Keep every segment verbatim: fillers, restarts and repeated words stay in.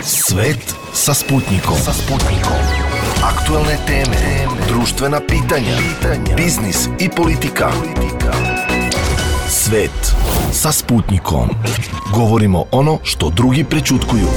Svet sa Sputnikom. Sa Sputnikom. Aktuelne teme, društvena pitanja, biznis i politika. Svet sa Sputnikom. Govorimo ono što drugi prećutkuju.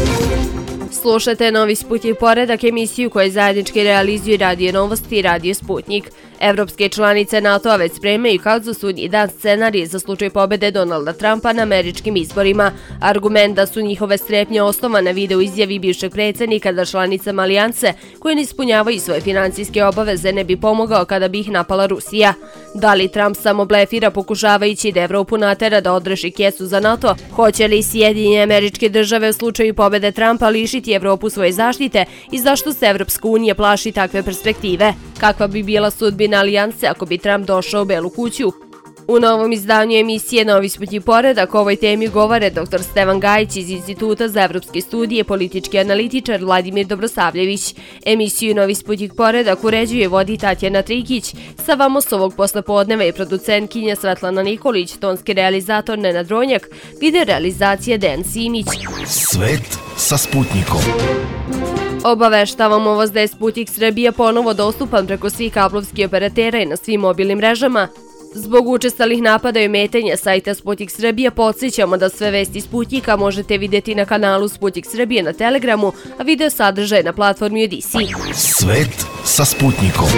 Slušate Novi Sputnik poredak, emisiju koju zajednički realizuju Radio Novosti i Radio Sputnik. Evropske članice NATO-a već spremaju kao za sudnji dan scenarije za slučaj pobede Donalda Trumpa na američkim izborima. Argument da su njihove strepnje osnovane vide u izjavi bivšeg predsjednika da članicama alijanse koje ne ispunjavaju svoje financijske obaveze ne bi pomogao kada bi ih napala Rusija. Da li Trump samo blefira pokušavajući da Evropu natera da odreši kesu za NATO? Hoće li Sjedinjene Američke Države u slučaju pobede Trumpa lišiti Evropu svoje zaštite i zašto se Evropska unija plaši takve perspektive? Kakva bi bila sudbina alijanse ako bi Trump došao u Belu kuću? U novom izdanju emisije Novi Sputnik poredak o ovoj temi govore doktor Stevan Gajić iz Instituta za evropske studije, politički analitičar Vladimir Dobrosavljević. Emisiju Novi Sputnik poredak uređuje vodi Tatjana Trikić, sa vama s ovog poslepodneva je producentkinja Svetlana Nikolić, tonski realizator Nenad Ronjak, video realizacija Dejan Simić. Svet sa Sputnikom. Obaveštavamo vas da je Sputnik Srbija ponovo dostupan preko svih kablovskih operatera i na svim mobilnim mrežama. Zbog učestalih napada i ometanja sajta Sputnik Srbija podsjećamo da sve vesti Sputnika možete vidjeti na kanalu Sputnik Srbije na Telegramu, a video sadržaj na platformi Odisi. Svet sa Sputnikom.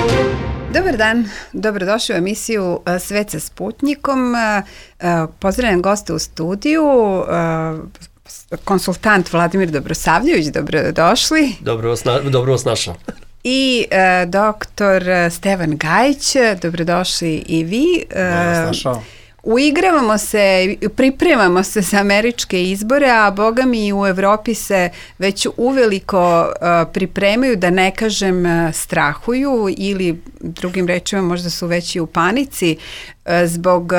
Dobar dan, dobrodošli u emisiju Svet sa Sputnikom. Pozdravljam goste u studiju, konsultant Vladimir Dobrosavljević, dobrodošli. Dobro vas, na, dobro vas našao. I uh, doktor Stevan Gajić, dobrodošli i vi. Uh, uigravamo se, pripremamo se za američke izbore, a boga mi u Evropi se već uveliko uh, pripremaju, da ne kažem uh, strahuju ili drugim rečima možda su već i u panici uh, zbog uh,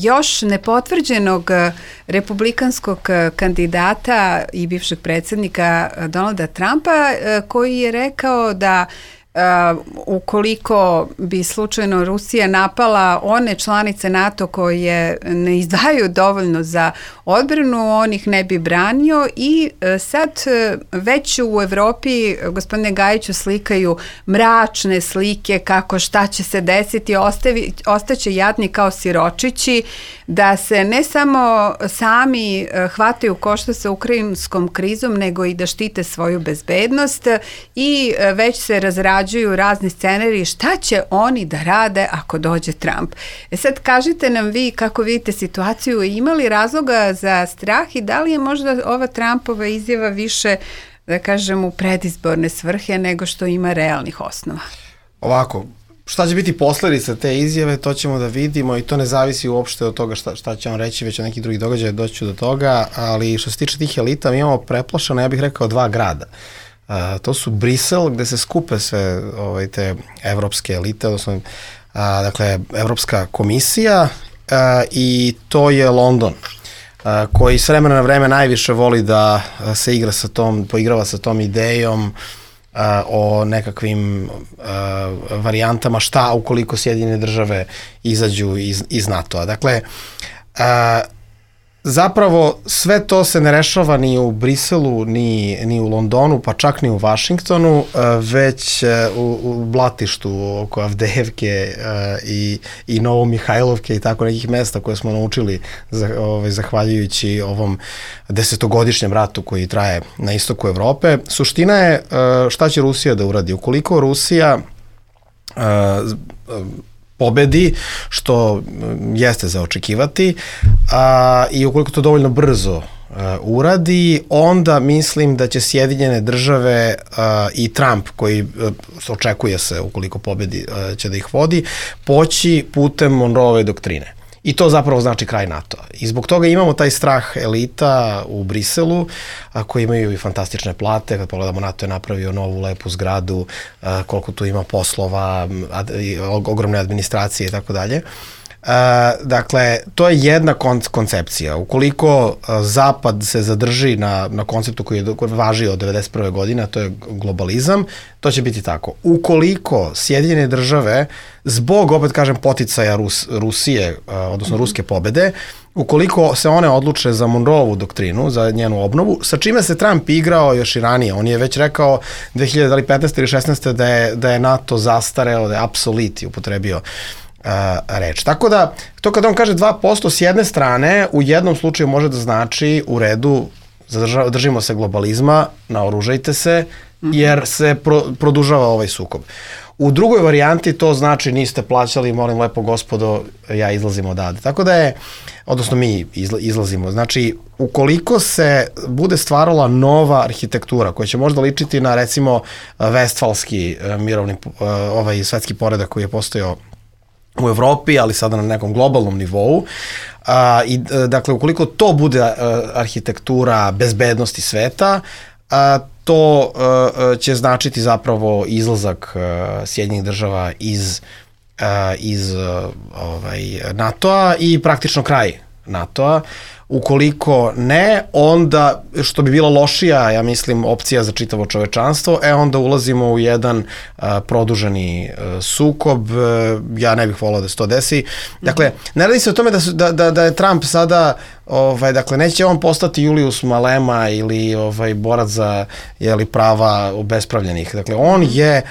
još nepotvrđenog uh, republikanskog uh, kandidata i bivšeg predsjednika uh, Donalda Trumpa uh, koji je rekao da Uh, ukoliko bi slučajno Rusija napala one članice NATO koje ne izdvajaju dovoljno za odbranu, on ih ne bi branio i uh, sad uh, već u Evropi, gospodine Gajiću, slikaju mračne slike kako šta će se desiti, ostavi, ostaće jadni kao siročići, da se ne samo sami uh, hvataju košta sa ukrajinskom krizom, nego i da štite svoju bezbednost i uh, već se razrađuju razni scenariji šta će oni da rade ako dođe Trump. E sad kažite nam vi kako vidite situaciju, imali razloga za strah i da li je možda ova Trumpova izjava više, da kažem, u predizborne svrhe nego što ima realnih osnova? Ovako, šta će biti posledica te izjave, to ćemo da vidimo i to ne zavisi uopšte od toga šta, šta će on reći, već od nekih drugih događaja doći do toga, ali što se tiče tih elita, mi imamo preplašeno, ja bih rekao, dva grada. Uh, to su Brisel, gde se skupe sve ovaj, te evropske elite, odnosno uh, dakle, Evropska komisija uh, i to je London, uh, koji s vremena na vreme najviše voli da uh, se igra sa tom, poigrava sa tom idejom uh, o nekakvim uh, varijantama šta ukoliko Sjedinjene države izađu iz, iz NATO-a. Dakle, uh, zapravo sve to se ne rešava ni u Briselu, ni, ni u Londonu, pa čak ni u Vašingtonu, već u, u blatištu oko Avdejevke i, i Novomihajlovke i tako nekih mesta koje smo naučili ovaj, zahvaljujući ovom desetogodišnjem ratu koji traje na istoku Evrope. Suština je šta će Rusija da uradi. Ukoliko Rusija pobedi, što jeste za očekivati, a, i ukoliko to dovoljno brzo a, uradi, onda mislim da će Sjedinjene države a, i Trump, koji a, očekuje se, ukoliko pobedi, a, će da ih vodi, poći putem Monroeove doktrine. I to zapravo znači kraj NATO-a. I zbog toga imamo taj strah elita u Briselu, a, koji imaju i fantastične plate. Kad pogledamo, NATO je napravio novu lepu zgradu, a, koliko tu ima poslova, ad, ogromne administracije i tako dalje. Dakle, to je jedna kon- koncepcija. Ukoliko a, Zapad se zadrži na, na konceptu koji je, koji je važio od devedeset prve godine, a to je globalizam, to će biti tako. Ukoliko Sjedinjene države, zbog, opet kažem, poticaja Rus, Rusije, a, odnosno ruske pobede, ukoliko se one odluče za Monroeovu doktrinu, za njenu obnovu, sa čime se Trump igrao još i ranije. On je već rekao dve hiljade petnaeste ili šesnaeste da je, da je NATO zastareo, da je apsoliti upotrebio uh, reč. Tako da, to kada on kaže dva posto s jedne strane, u jednom slučaju može da znači u redu, zadrža, držimo se globalizma, naoružajte se, jer se pro, produžava ovaj sukob. U drugoj varijanti to znači niste plaćali, molim lepo gospodo, ja izlazim odavde. Tako da je, odnosno mi izlazimo, znači ukoliko se bude stvarala nova arhitektura koja će možda ličiti na recimo vestfalski mirovni ovaj svetski poredak koji je postojao u Evropi, ali sada na nekom globalnom nivou, a, i dakle ukoliko to bude a, arhitektura bezbednosti sveta, a, to uh, će značiti zapravo izlazak uh, Sjedinjenih država iz, uh, iz uh, ovaj, NATO-a i praktično kraj NATO-a. Ukoliko ne, onda, što bi bila lošija, ja mislim, opcija za čitavo čovečanstvo, e onda ulazimo u jedan uh, produženi uh, sukob, uh, ja ne bih volao da se to desi. Dakle, ne radi se o tome da, su, da, da, da je Trump sada, ovaj, dakle, neće on postati Julius Malema ili ovaj, borac za jeli, prava obespravljenih. Dakle, on je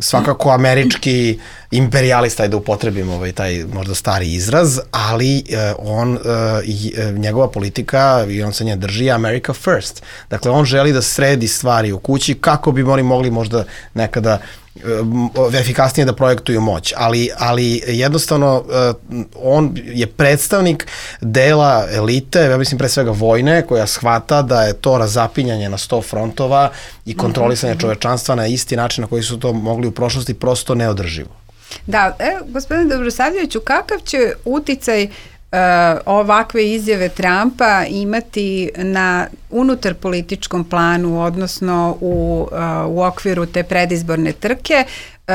svakako američki imperijalista, da upotrebim ovaj, taj možda stari izraz, ali eh, on, eh, njegova politika, i on se nje drži, America first. Dakle, on želi da sredi stvari u kući kako bi oni mogli možda nekada efikasnije da projektuju moć, ali, ali jednostavno on je predstavnik dela elite, ja mislim pre svega vojne, koja shvata da je to razapinjanje na sto frontova i kontrolisanje čovečanstva na isti način na koji su to mogli u prošlosti prosto neodrživo. Da, evo, gospodine Dobrosavljeviću, kakav će uticaj Uh, ovakve izjave Trumpa imati na unutar političkom planu, odnosno u, uh, u okviru te predizborne trke? Uh,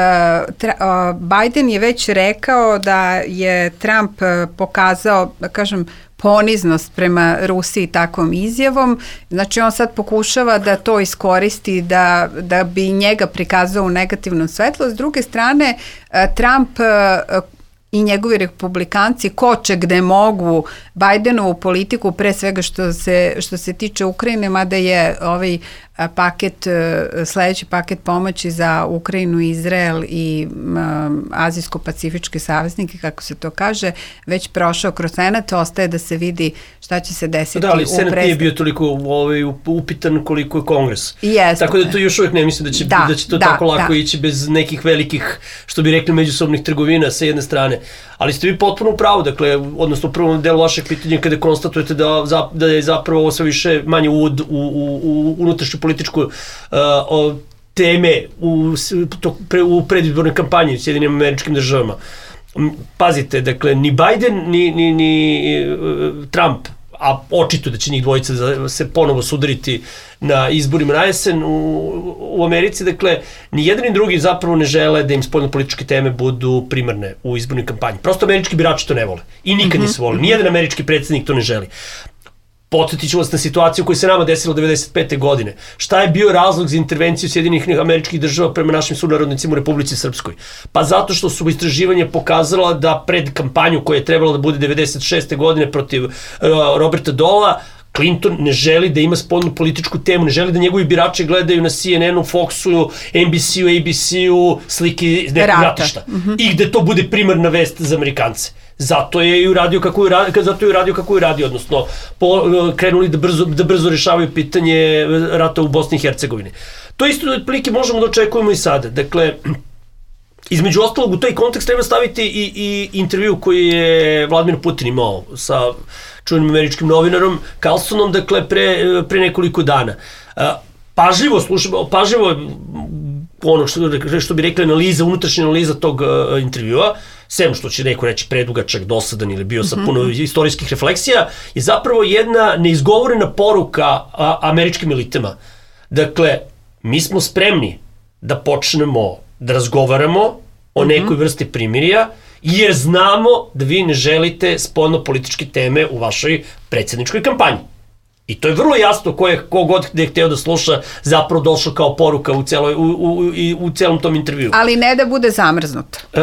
tra, uh, Biden je već rekao da je Trump uh, pokazao, da kažem, poniznost prema Rusiji takvom izjavom. Znači on sad pokušava da to iskoristi da, da bi njega prikazao u negativnom svetlu. S druge strane, uh, Trump uh, i njegovi republikanci koče gde mogu Bidenovu politiku, pre svega što se, što se tiče Ukrajine, mada je ovaj paket, sledeći paket pomoći za Ukrajinu, Izrael i um, Azijsko-pacifičke saveznike, kako se to kaže, već prošao kroz Senat, ostaje da se vidi šta će se desiti. Da, ali Senat nije bio toliko ovaj, upitan koliko je Kongres. Jeste. Tako da to još uvijek ne mislim da će, da, da će to da, tako lako da. ići bez nekih velikih, što bi rekli, međusobnih trgovina sa jedne strane. Ali ste vi potpuno u pravu, dakle, odnosno u prvom delu vašeg pitanja kada konstatujete da, da je zapravo ovo sve više manje uvod u, u, u unutrašnju političku uh, o, teme u, to, pre, u predizbornoj kampanji u Sjedinim Američkim Državama. Pazite, dakle, ni Biden, ni, ni, ni uh, Trump, a očito da će njih dvojica da se ponovo sudariti na izborima na jesen u, u Americi, dakle, ni jedan ni drugi zapravo ne žele da im spoljnopolitičke teme budu primarne u izbornoj kampanji. Prosto američki birači to ne vole i nikad nisu volili. Nijedan američki predsjednik to ne želi. Podsjetit ću vas na situaciju koja se nama desila devedeset pete godine. Šta je bio razlog za intervenciju Sjedinjenih Američkih Država prema našim sunarodnicima u Republici Srpskoj? Pa zato što su istraživanja pokazala da pred kampanju koja je trebala da bude devedeset šeste godine protiv uh, Roberta Dola, Clinton ne želi da ima spoljnu političku temu, ne želi da njegovi birači gledaju na C N N-u, Foxu, N B C-u, A B C-u, slike iz nekog ratišta. Mm-hmm. I gde to bude primarna vest za Amerikance. Zato je i uradio kako je uradio, zato je uradio kako je uradio, odnosno po, krenuli da brzo, da brzo rešavaju pitanje rata u Bosni i Hercegovini. To isto otprilike možemo da očekujemo i sada. Dakle, između ostalog u taj kontekst treba staviti i, i intervju koji je Vladimir Putin imao sa čuvenim američkim novinarom Carlsonom, dakle, pre, pre nekoliko dana. Pažljivo slušamo, pažljivo ono što, što bi rekli analiza, unutrašnja analiza tog uh, intervjua, sem što će neko reći predugačak, dosadan ili bio sa puno mm-hmm. istorijskih refleksija, je zapravo jedna neizgovorena poruka a, američkim elitama. Dakle, mi smo spremni da počnemo da razgovaramo o nekoj vrsti primirja, jer znamo da vi ne želite spoljno-političke teme u vašoj predsjedničkoj kampanji. I to je vrlo jasno ko je, kogod gde je hteo da sluša zapravo došlo kao poruka u, celoj, u, u, u, u celom tom intervju. Ali ne da bude zamrznut. E,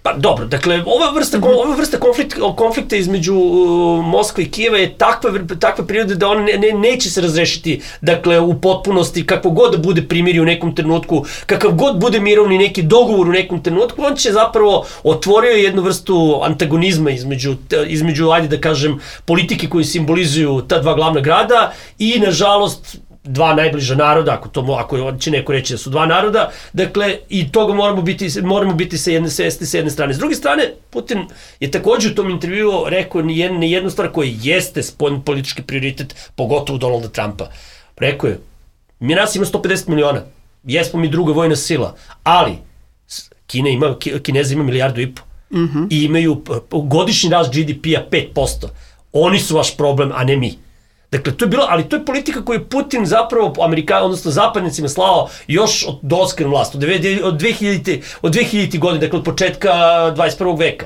Pa dobro, dakle, ova vrsta, mm-hmm. ova vrsta konflikt, konflikta između uh, Moskve i Kijeva je takva, takva prirode da on ne, ne, neće se razrešiti, dakle, u potpunosti, kako god da bude primiri u nekom trenutku, kakav god bude mirovni neki dogovor u nekom trenutku, on će zapravo otvorio jednu vrstu antagonizma između, između, ajde da kažem, politike koji simbolizuju ta dva glavna grada i, nažalost, dva najbliža naroda, ako to ako će neko reći da su dva naroda, dakle, i toga moramo biti, moramo biti sa jedne svesti sa jedne strane. S druge strane, Putin je također u tom intervjuu rekao ni jednu, ni jednu stvar koja jeste spoljni politički prioritet, pogotovo Donalda Trumpa. Rekao je, mi nas ima sto pedeset miliona, jesmo mi druga vojna sila, ali Kina ima, Kineza ima milijardu i po mm-hmm. i imaju godišnji rast G D P-a pet posto. Oni su vaš problem, a ne mi. Dakle, to je bilo, ali to je politika koju je Putin zapravo Amerika, odnosno zapadnicima slao još od dolaska na vlast, od, od, dve hiljadite godine, dakle od početka dvadeset prvog veka.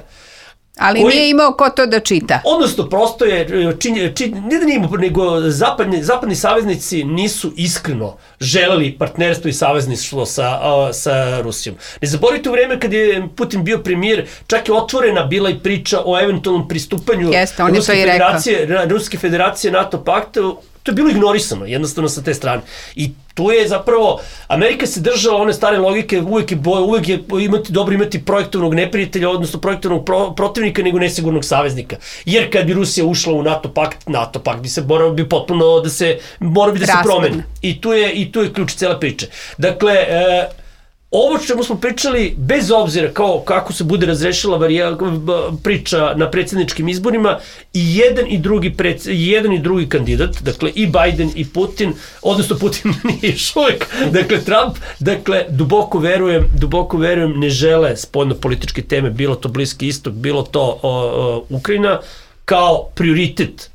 Ali koji, nije imao ko to da čita. Odnosno, prosto je, čin, čin, ne da nije imao, nego zapadni, zapadni saveznici nisu iskreno želeli partnerstvo i savezništvo sa, uh, sa Rusijom. Ne zaboravite, u vreme kad je Putin bio premijer, čak je otvorena bila i priča o eventualnom pristupanju Jeste, Ruske, federacije, Ruske federacije NATO paktu. To je bilo ignorisano, jednostavno sa te strane. I tu je zapravo, Amerika se držala one stare logike, uvek je, uvek je imati, dobro imati projektovnog neprijatelja, odnosno projektovnog pro, protivnika, nego nesigurnog saveznika. Jer kad bi Rusija ušla u NATO pakt, NATO pakt bi se morao bi potpuno da se, morao bi da se promeni. I tu je, i tu je ključ cele priče. Dakle, e, ovo čemu smo pričali, bez obzira kao kako se bude razrešila varija, priča na predsjedničkim izborima, i jedan i drugi pred, jedan i drugi kandidat, dakle i Biden i Putin, odnosno Putin nije još uvijek, dakle Trump, dakle duboko verujem, duboko verujem ne žele spoljno-političke teme, bilo to Bliski istok, bilo to o, o, Ukrajina, kao prioritet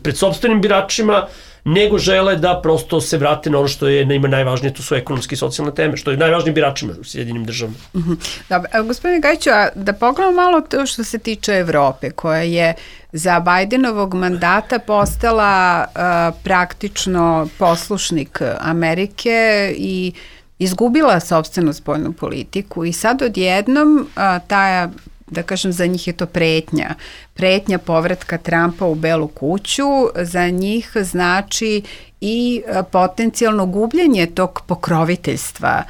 pred sopstvenim biračima, nego žele da prosto se vrate na ono što je njima najvažnije, to su ekonomske i socijalne teme, što je najvažnije biračima u Sjedinim državama. Mm-hmm. Dobro, gospodine Gajiću, a da pogledamo malo to što se tiče Evrope, koja je za Bajdenovog mandata postala uh, praktično poslušnik Amerike i izgubila sopstvenu spoljnu politiku i sad odjednom uh, ta, da kažem, za njih je to pretnja. Pretnja povratka Trumpa u Belu kuću za njih znači i potencijalno gubljenje tog pokroviteljstva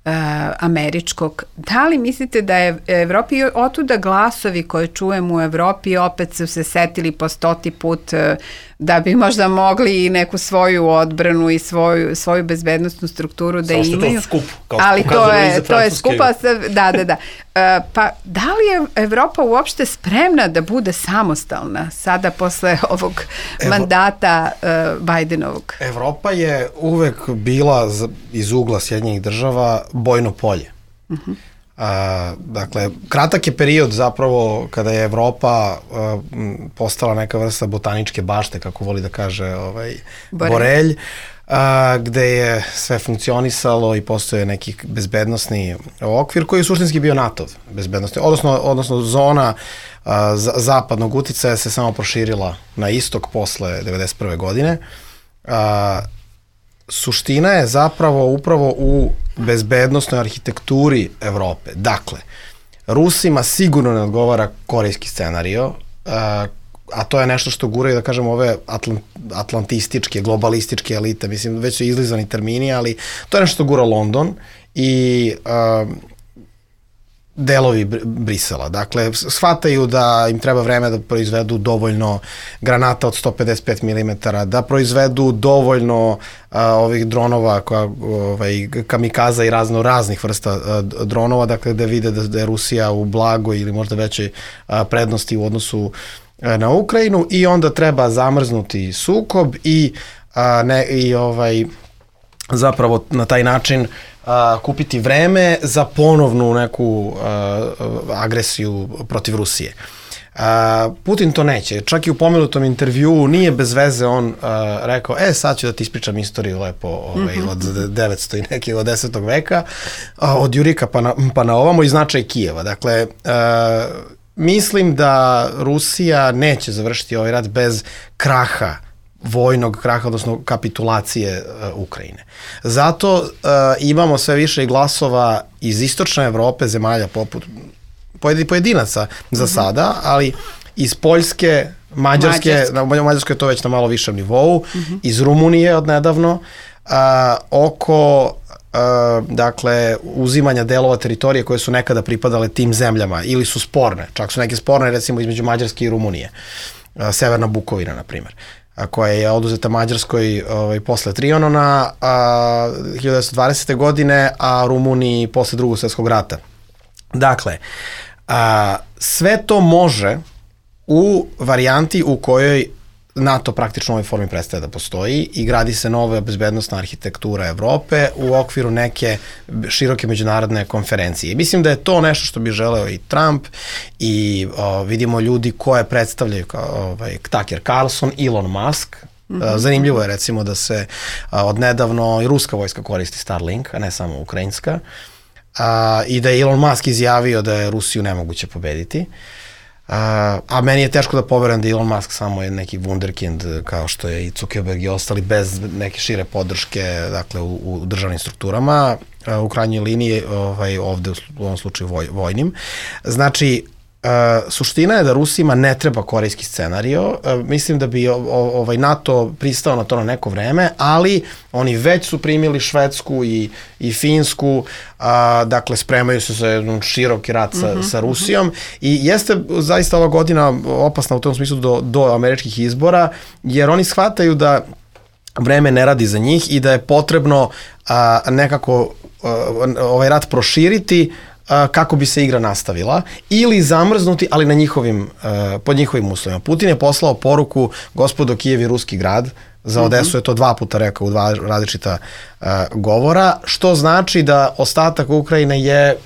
uh, američkog. Da li mislite da je Evropi otuda glasovi koje čujemo u Evropi opet su se setili po stoti put uh, da bi možda mogli i neku svoju odbranu i svoju, svoju bezbednostnu strukturu da Samo imaju. To skup, kao ali to je, to je skupa, da, da, da. Uh, pa da li je Evropa uopšte spremna da bude samostalna sada posle ovog Evo, mandata uh, Bajdenovog? Evropa je uvek bila iz ugla Sjedinjenih država bojno polje. Uh-huh. A, dakle, kratak je period zapravo kada je Evropa a, postala neka vrsta botaničke bašte, kako voli da kaže ovaj, Borelj, Borelj a, gde je sve funkcionisalo i postoje neki bezbednostni okvir koji je suštinski bio NATO bezbednostni, odnosno, odnosno zona a, zapadnog uticaja se samo proširila na istok posle devedeset prve godine. A, suština je zapravo upravo u bezbednostnoj arhitekturi Evrope. Dakle, Rusima sigurno ne odgovara korejski scenario, a to je nešto što guraju, da kažem, ove atlant, atlantističke, globalističke elite, mislim, već su izlizani termini, ali to je nešto što gura London i uh, delovi Brisela. Dakle, shvataju da im treba vreme da proizvedu dovoljno granata od sto pedeset pet milimetara, da proizvedu dovoljno a, ovih dronova, koja, ovaj, kamikaza i razno raznih vrsta a, dronova, dakle, da vide da, da je Rusija u blagoj ili možda većoj a, prednosti u odnosu a, na Ukrajinu, i onda treba zamrznuti sukob i, a, ne, i ovaj, zapravo na taj način Uh, kupiti vreme za ponovnu neku uh, agresiju protiv Rusije. Uh, Putin to neće. Čak i u pomenutom intervjuu nije bez veze on uh, rekao, e sad ću da ti ispričam istoriju lepo ovaj, mm-hmm. od devetsto i nekih od desetog veka, uh, od Jurika pa na, pa na ovamo i značaj Kijeva. Dakle, uh, mislim da Rusija neće završiti ovaj rat bez kraha, vojnog kraha, odnosno kapitulacije uh, Ukrajine. Zato uh, imamo sve više glasova iz istočne Evrope, zemalja poput pojedinaca za sada, ali iz Poljske, Mađarske, na Mađarskoj je to već na malo višem nivou, iz Rumunije odnedavno, oko dakle uzimanja delova teritorije koje su nekada pripadale tim zemljama ili su sporne, čak su neke sporne recimo između Mađarske i Rumunije, Severna Bukovina na primjer, koja je oduzeta Mađarskoj ovaj, posle Trianona a, hiljadu devetsto dvadesete. godine, a Rumuniji posle Drugog svjetskog rata. Dakle, a, sve to može u varijanti u kojoj NATO praktično u ovoj formi prestaje da postoji i gradi se nova bezbednostna arhitektura Evrope u okviru neke široke međunarodne konferencije. Mislim da je to nešto što bi želeo i Trump i o, vidimo ljudi koje predstavljaju kao ovaj, Tucker Carlson, Elon Musk. Mm-hmm. Zanimljivo je recimo da se a, odnedavno i ruska vojska koristi Starlink, a ne samo ukrajinska, a, i da je Elon Musk izjavio da je Rusiju nemoguće pobediti. Uh, a meni je teško da poverujem da Elon Musk samo je neki wunderkind kao što je i Zuckerberg i ostali bez neke šire podrške dakle, u, u državnim strukturama, uh, u krajnjoj liniji ovaj, ovde u, u ovom slučaju voj, vojnim. Znači, uh, suština je da Rusima ne treba korejski scenario. Uh, mislim da bi o, o, ovaj NATO pristao na to na neko vreme, ali oni već su primili Švedsku i, i Finsku, a, dakle spremaju se za jedan široki rat sa, mm-hmm. sa Rusijom i jeste zaista ova godina opasna u tom smislu do, do američkih izbora, jer oni shvataju da vreme ne radi za njih i da je potrebno a, nekako a, ovaj rat proširiti a, kako bi se igra nastavila ili zamrznuti, ali na njihovim, a, pod njihovim uslovima. Putin je poslao poruku: gospodo, Kijev je ruski grad. Za Odesu je to dva puta rekao u dva različita uh, govora, što znači da ostatak Ukrajine je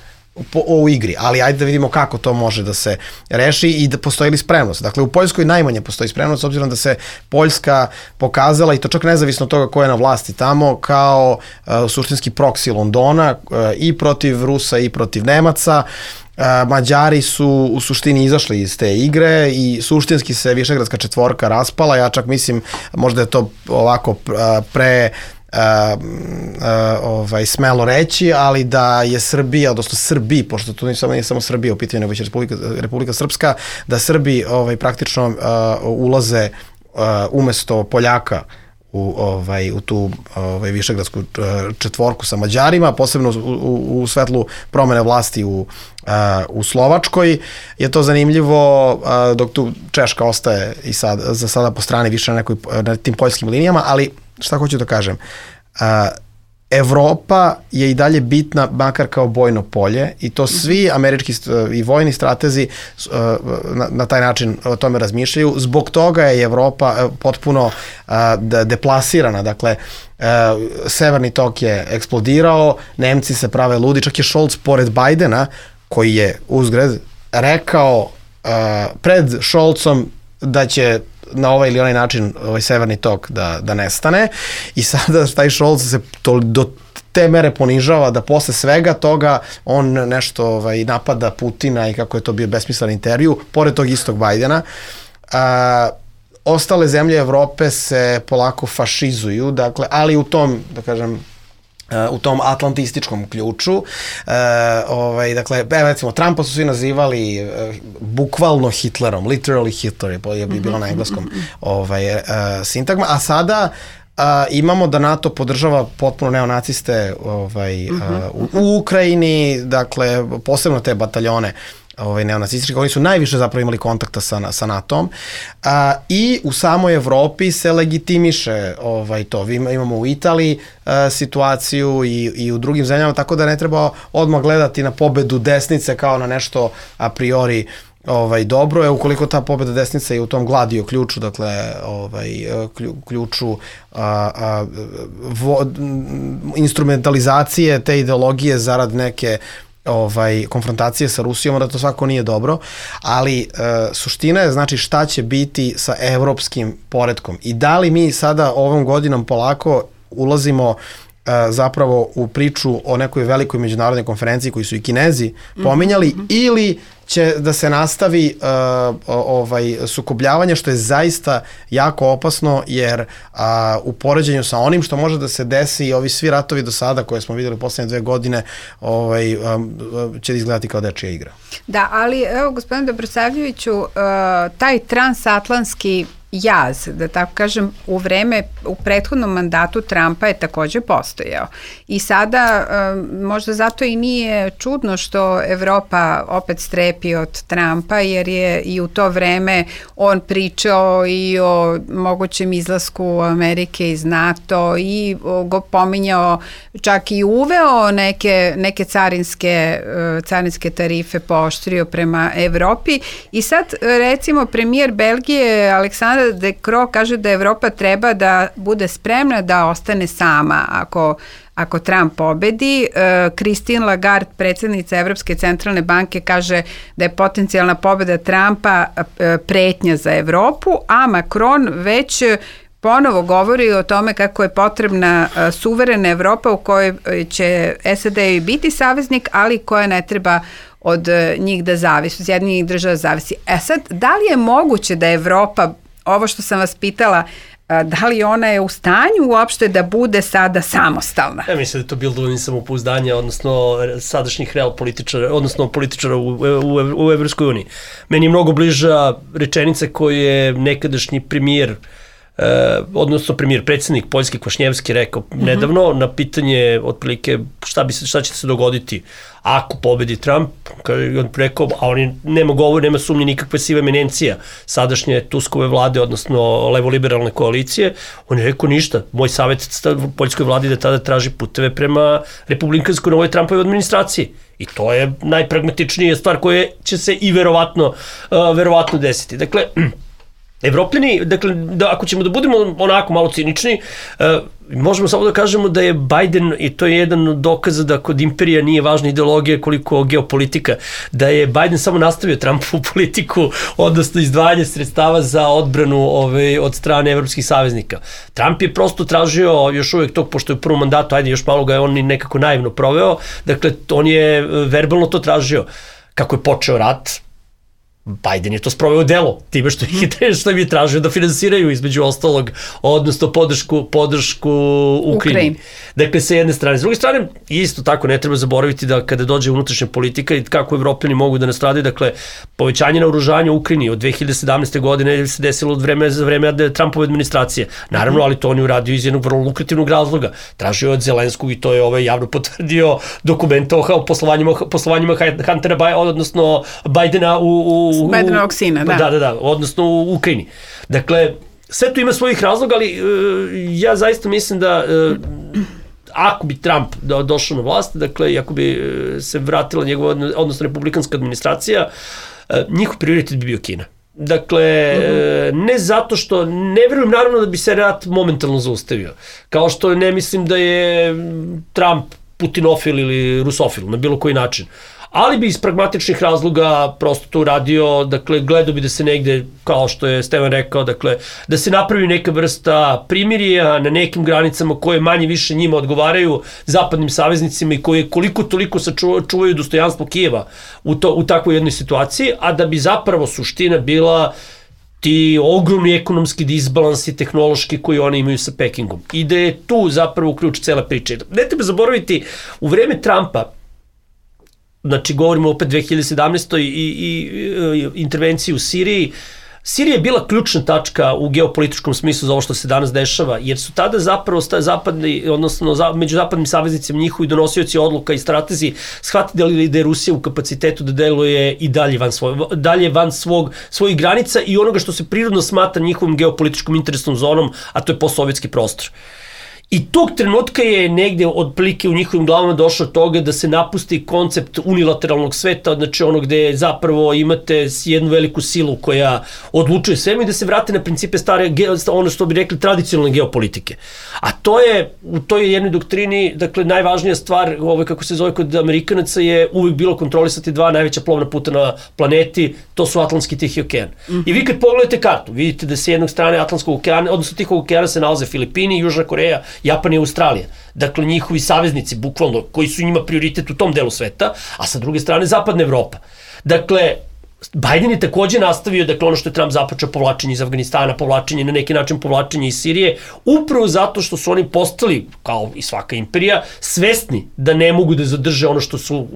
po, u igri, ali ajde da vidimo kako to može da se reši i da postoji li spremnost. Dakle, u Poljskoj najmanje postoji spremnost, s obzirom da se Poljska pokazala, i to čak nezavisno od toga ko je na vlasti tamo, kao uh, suštinski proksi Londona uh, i protiv Rusa i protiv Nemaca. Uh, Mađari su u suštini izašli iz te igre i suštinski se Višegradska četvorka raspala. Ja čak mislim, možda je to ovako uh, pre uh, uh, ovaj, smelo reći, ali da je Srbija, odnosno Srbi, pošto to nije samo, nije samo Srbija u pitanju, nego je Republika, Republika Srpska, da Srbi ovaj, praktično uh, ulaze uh, umesto Poljaka u ovaj u tu ovaj Višegradsku četvorku sa Mađarima, posebno u, u, u svetlu promene vlasti u uh, u Slovačkoj je to zanimljivo, uh, dok tu Češka ostaje i sad za sada po strani više na nekoj na tim poljskim linijama, ali šta hoću da kažem, uh, Evropa je i dalje bitna makar kao bojno polje i to svi američki i vojni stratezi na, na taj način o tome razmišljaju. Zbog toga je Evropa potpuno deplasirana. Dakle, Severni tok je eksplodirao, Nemci se prave ludi, čak je Scholz pored Bajdena, koji je uzgred rekao pred Scholzom da će na ovaj ili onaj način ovaj Severni tok da, da nestane i sada taj Scholz se to, do te mere ponižava da posle svega toga on nešto ovaj, napada Putina i kako je to bio besmislen intervju, pored tog istog Bajdena. A, ostale zemlje Evrope se polako fašizuju, dakle, ali u tom, da kažem, u tom atlantističkom ključu. Uh, ovaj, dakle, evo recimo, Trumpa su svi nazivali uh, bukvalno Hitlerom, literally Hitler je bi bilo na engleskom ovaj, uh, sintagma, a sada uh, imamo da NATO podržava potpuno neonaciste ovaj, uh, u, u Ukrajini, dakle, posebno te bataljone ovaj, neonacistički, oni su najviše zapravo imali kontakta sa, sa NATO-om a, i u samoj Evropi se legitimiše ovaj, to. Vi imamo u Italiji a, situaciju i, i u drugim zemljama, tako da ne treba odmah gledati na pobedu desnice kao na nešto a priori ovaj, dobro je, ukoliko ta pobeda desnice je u tom gladio ključu, dakle ovaj, ključu a, a, vo, instrumentalizacije te ideologije zarad neke ovaj konfrontacije sa Rusijom, da to svako nije dobro, ali e, suština je znači šta će biti sa evropskim poretkom i da li mi sada ovom godinom polako ulazimo zapravo u priču o nekoj velikoj međunarodnoj konferenciji koji su i Kinezi pominjali, mm-hmm. ili će da se nastavi uh, ovaj sukobljavanje, što je zaista jako opasno, jer uh, u poređenju sa onim što može da se desi i ovi svi ratovi do sada koje smo videli u poslednje dve godine ovaj, um, će izgledati kao dečija igra. Da, ali evo gospodine Dobrosavljeviću, uh, taj transatlantski jaz, da tako kažem, u vreme, u prethodnom mandatu Trumpa je takođe postojao. I sada možda zato i nije čudno što Evropa opet strepi od Trumpa, jer je i u to vreme on pričao i o mogućem izlasku Amerike iz NATO i go pominjao, čak i uveo neke, neke carinske, carinske tarife, pooštrio prema Evropi. I sad recimo premijer Belgije Aleksandar De Croo kaže da Evropa treba da bude spremna da ostane sama ako, ako Trump pobedi. Christine Lagarde, predsjednica Evropske centralne banke, kaže da je potencijalna pobeda Trumpa pretnja za Evropu, a Macron već ponovo govori o tome kako je potrebna suverena Evropa u kojoj će S A D biti saveznik, ali koja ne treba od njih da zavisi, od Sjedinjenih država zavisi. E sad, da li je moguće da Evropa, ovo što sam vas pitala, da li ona je u stanju uopšte da bude sada samostalna? Ja mislim da je to bilo dovoljno samopouzdanja, odnosno sadašnjih real političara, odnosno političara u, u, u Evropskoj uniji. Meni je mnogo bliža rečenica koju je nekadašnji premijer, Uh, odnosno premijer, predsjednik Poljski Kvašnjevski rekao mm-hmm. nedavno na pitanje otprilike šta, bi se, šta će se dogoditi ako pobedi Trump, on rekao, a on nema govor, nema sumnje nikakve sive eminencija sadašnje Tuskove vlade, odnosno levo-liberalne koalicije, on je rekao ništa, moj savjet poljskoj vladi da tada traži puteve prema republikanskoj novoj Trumpove administraciji. I to je najpragmatičnija stvar koja će se i verovatno, uh, verovatno desiti. Dakle, Evropljani, dakle, da, ako ćemo da budemo onako malo cinični, uh, možemo samo da kažemo da je Biden, i to je jedan od dokaza da kod imperija nije važna ideologija koliko geopolitika, da je Biden samo nastavio Trumpovu politiku, odnosno izdvajanje sredstava za odbranu ove, od strane evropskih saveznika. Trump je prosto tražio još uvek tog, pošto je u prvom mandatu, ajde još malo ga je on nekako naivno proveo, dakle, on je verbalno to tražio. Kako je počeo rat, Biden je to sproveo u delo, time što ih što im je tražio da finansiraju između ostalog, odnosno podršku, podršku Ukrajini. Dakle, sa jedne strane. S druge strane, isto tako ne treba zaboraviti da kada dođe unutrašnja politika i kako Evropljani mogu da nastradaju, dakle, povećanje naoružanja u Ukrajini od dve hiljade sedamnaeste. godine se desilo od vreme, za vreme Trumpove administracije. Naravno, ali to on je uradio iz jednog vrlo lukrativnog razloga. Tražio je od Zelenskog i to je ovaj javno potvrdio dokumenta o poslovanjima, poslovanjima Huntera, odnosno Bidena u, u Bidenovog sina, da. Da, da, da, odnosno u Ukrajini. Dakle, sve to ima svojih razloga, ali uh, ja zaista mislim da uh, ako bi Trump do, došao na vlast, dakle, ako bi uh, se vratila njegova, odnosno republikanska administracija, uh, njihov prioritet bi bio Kina. Dakle, uh-huh. ne zato što, ne verujem naravno da bi se rat momentalno zaustavio, kao što ne mislim da je Trump putinofil ili rusofil, na bilo koji način. Ali bi iz pragmatičnih razloga prosto to uradio, dakle, gledao bi da se negde, kao što je Stevan rekao, dakle, da se napravi neka vrsta primirija na nekim granicama koje manje više njima odgovaraju, zapadnim saveznicima i koje koliko toliko sačuvaju dostojanstvo Kijeva u, to, u takvoj jednoj situaciji, a da bi zapravo suština bila ti ogromni ekonomski disbalansi tehnološki koji oni imaju sa Pekingom. I da je tu zapravo ključ cele priče. Ne treba zaboraviti, u vreme Trumpa, znači govorimo opet dve hiljade sedamnaeste. i, i, i intervenciji u Siriji, Sirija je bila ključna tačka u geopolitičkom smislu za ovo što se danas dešava, jer su tada zapravo zapadni, odnosno za, među zapadnim saveznicima njihovi donosioci odluka i stratezi shvatili da je Rusija u kapacitetu da deluje i dalje van, svoj, dalje van svog, svojih granica i onoga što se prirodno smatra njihovim geopolitičkom interesnom zonom, a to je postsovjetski prostor. I tog trenutka je negde otprilike u njihovim glavama došlo toga da se napusti koncept unilateralnog sveta, znači ono gde zapravo imate jednu veliku silu koja odlučuje svema i da se vrate na principe stare, ono što bi rekli, tradicionalne geopolitike. A to je, u toj jednoj doktrini, dakle, najvažnija stvar, ovaj, kako se zove kod Amerikanaca, je uvijek bilo kontrolisati dva najveća plovna puta na planeti, to su Atlantski i Tihi okean. Mm-hmm. I vi kad pogledate kartu, vidite da se jednog strane Atlantskog okeana, odnosno Tihog okeana se nalaze Filipini, Južna Koreja Japan i Australija. Dakle, njihovi saveznici, bukvalno, koji su njima prioritet u tom delu sveta, a sa druge strane Zapadna Evropa. Dakle, Biden je takođe nastavio, dakle, ono što je Trump započeo, povlačenje iz Afganistana, povlačenje, na neki način povlačenje iz Sirije, upravo zato što su oni postali, kao i svaka imperija, svesni da ne mogu da zadrže ono što, su,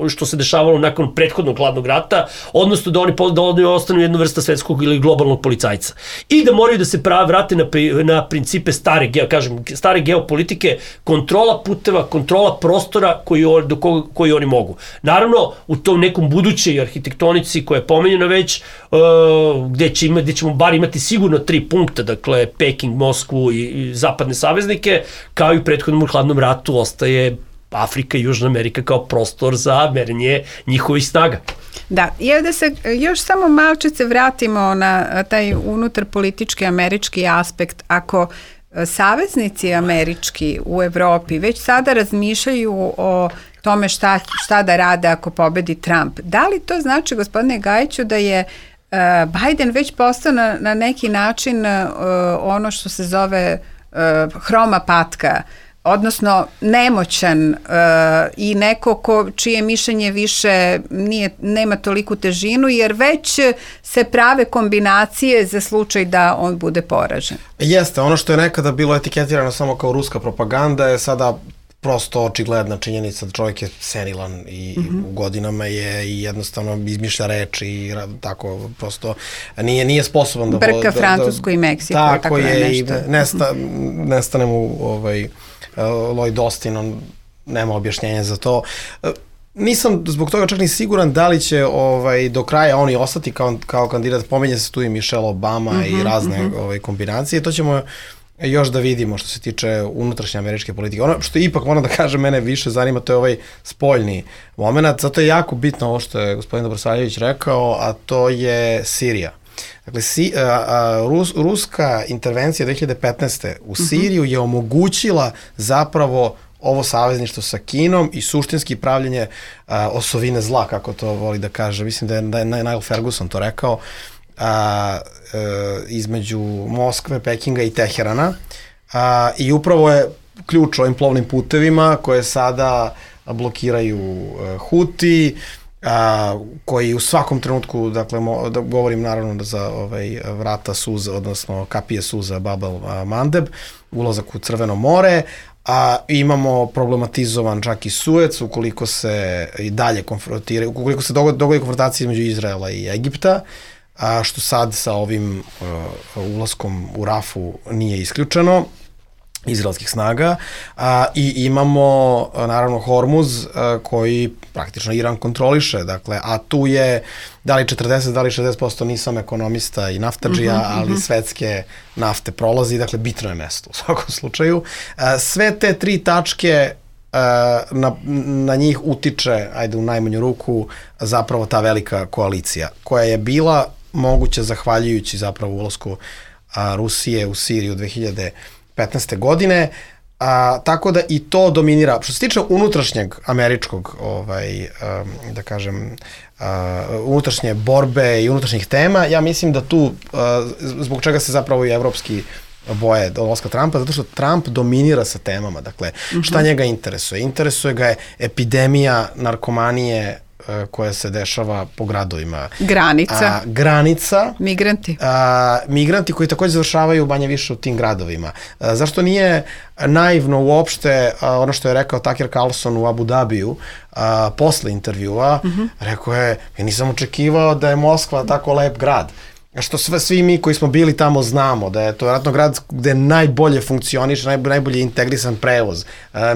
što se dešavalo nakon prethodnog hladnog rata, odnosno da oni, da oni ostanu jedna vrsta svetskog ili globalnog policajca. I da moraju da se pravi, vrate na, na principe stare, ja kažem, stare geopolitike, kontrola puteva, kontrola prostora koji, do koga, koji oni mogu. Naravno, u tom nekom budućoj arhitektonici koja je pomenjeno već, uh, gde, će ima, gde ćemo bar imati sigurno tri punkta, dakle Peking, Moskvu i, i zapadne saveznike, kao i u prethodnom hladnom ratu ostaje Afrika i Južna Amerika kao prostor za merenje njihovih snaga. Da, i da se još samo malčice vratimo na taj unutar politički američki aspekt. Ako saveznici američki u Evropi već sada razmišljaju o tome šta, šta da rade ako pobedi Trump. Da li to znači, gospodine Gajiću, da je uh, Biden već postao na, na neki način uh, ono što se zove uh, hroma patka, odnosno nemoćan uh, i neko ko, čije mišljenje više nije, nema toliku težinu, jer već se prave kombinacije za slučaj da on bude poražen? Jeste, ono što je nekada bilo etiketirano samo kao ruska propaganda je sada prosto očigledna činjenica da čovjek je senilan i mm-hmm. u godinama je i jednostavno izmišlja reči i tako prosto nije, nije sposoban da... Brka da, Francusku da, i Meksiku. Tako, tako je nešto. i nesta, nestane mu ovaj, Lloyd Austin, on nema objašnjenja za to. Nisam zbog toga čak ni siguran da li će ovaj, do kraja oni ostati kao, kao kandidat. Pomenje se tu i Michelle Obama mm-hmm, i razne mm-hmm. ovaj, kombinacije. To ćemo još da vidimo što se tiče unutrašnje američke politike. Ono što ipak moram da kažem mene više zanima, to je ovaj spoljni moment. Zato je jako bitno ovo što je gospodin Dobrosaljević rekao, a to je Sirija. Dakle, si, a, a, Rus, ruska intervencija dve hiljade petnaeste u Siriju je omogućila zapravo ovo savezništvo sa Kinom i suštinski pravljenje a, osovine zla, kako to voli da kaže. Mislim da je, da je Niall Ferguson to rekao, a, e, između Moskve, Pekinga i Teherana. A, I upravo je ključ ovim plovnim putevima koje sada blokiraju a, Huti, a, koji u svakom trenutku, dakle, mo, da govorim naravno za ovaj, vrata suza, odnosno kapije suza Bab el-Mandeb, ulazak u Crveno more, a imamo problematizovan čak i Suec, ukoliko se i dalje konfrontiraju, ukoliko se dogodi, dogodi konfrontacija između Izraela i Egipta, a što sad sa ovim uh, ulaskom u Rafu nije isključeno, izraelskih snaga, a, i imamo naravno Hormuz a, koji praktično Iran kontroliše, dakle, a tu je da li četrdeset, da li šezdeset posto, nisam ekonomista i naftadžija, mm-hmm, ali mm-hmm. svetske nafte prolazi, dakle, bitno je mesto u svakom slučaju. A, sve te tri tačke a, na, na njih utiče, ajde u najmanju ruku, zapravo ta velika koalicija, koja je bila moguća zahvaljujući zapravo ulasku a, Rusije u Siriju dve hiljade petnaeste godine, a, tako da i to dominira. Što se tiče unutrašnjeg američkog, ovaj, um, da kažem, uh, unutrašnje borbe i unutrašnjih tema, ja mislim da tu, uh, zbog čega se zapravo i evropski boje dolaska Trumpa, zato što Trump dominira sa temama. Dakle, mm-hmm. šta njega interesuje? Interesuje ga je epidemija narkomanije koja se dešava po gradovima. Granica. A, granica. Migranti. A, migranti koji takođe završavaju manje više u tim gradovima. A, zašto nije naivno uopšte a, ono što je rekao Tucker Carlson u Abu Dhabiju a, posle intervjua, mm-hmm. rekao je, ja nisam očekivao da je Moskva tako lep grad. Što sve, svi mi koji smo bili tamo znamo, da je to vjerojatno grad gde najbolje funkcioniše, najbolje, najbolje integrisan prevoz,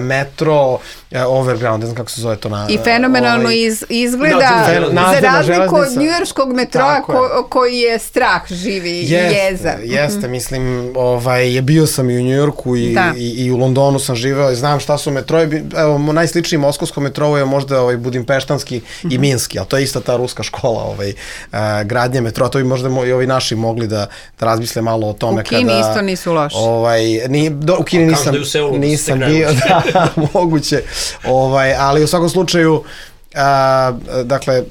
metro, overground, ne znam kako se zove to na... I fenomenalno ovaj, iz, izgleda, na, za razliku od njujorskog metroa ko, koji je strah živi i jeza. Jeste, mm-hmm. mislim, ovaj, je bio sam i u Njujorku i, i, i u Londonu sam živeo i znam šta su metroje, evo, najsličniji moskovskom metrovu je možda ovaj, budimpeštanski mm-hmm. i minski, ali to je ista ta ruska škola ovaj, uh, gradnje metroa, to bi možda i ovi naši mogli da, da razmisle malo o tome. U Kini kada, isto nisu loši. Ovaj, ni, do, u Kini nisam, nisam bio, da, moguće. Ovaj, ali u svakom slučaju, a, dakle,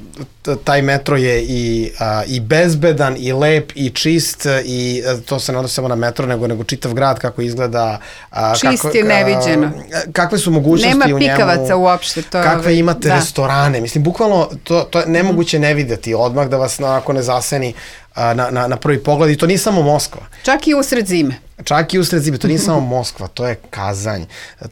taj metro je i, a, i bezbedan, i lep, i čist, i to se ne odnosi samo na metro, nego, nego čitav grad, kako izgleda. A, čist kako, je neviđeno. A, kakve su mogućnosti Nema u njemu. Nema pikavaca uopšte. To kakve ovaj, imate da. restorane. Mislim, bukvalno, to, to je nemoguće ne videti odmah da vas onako ne zaseni a, na, na, na prvi pogled. I to nije samo Moskva. Čak i usred zime. Čak i usred zime, to nije samo Moskva, to je Kazanj,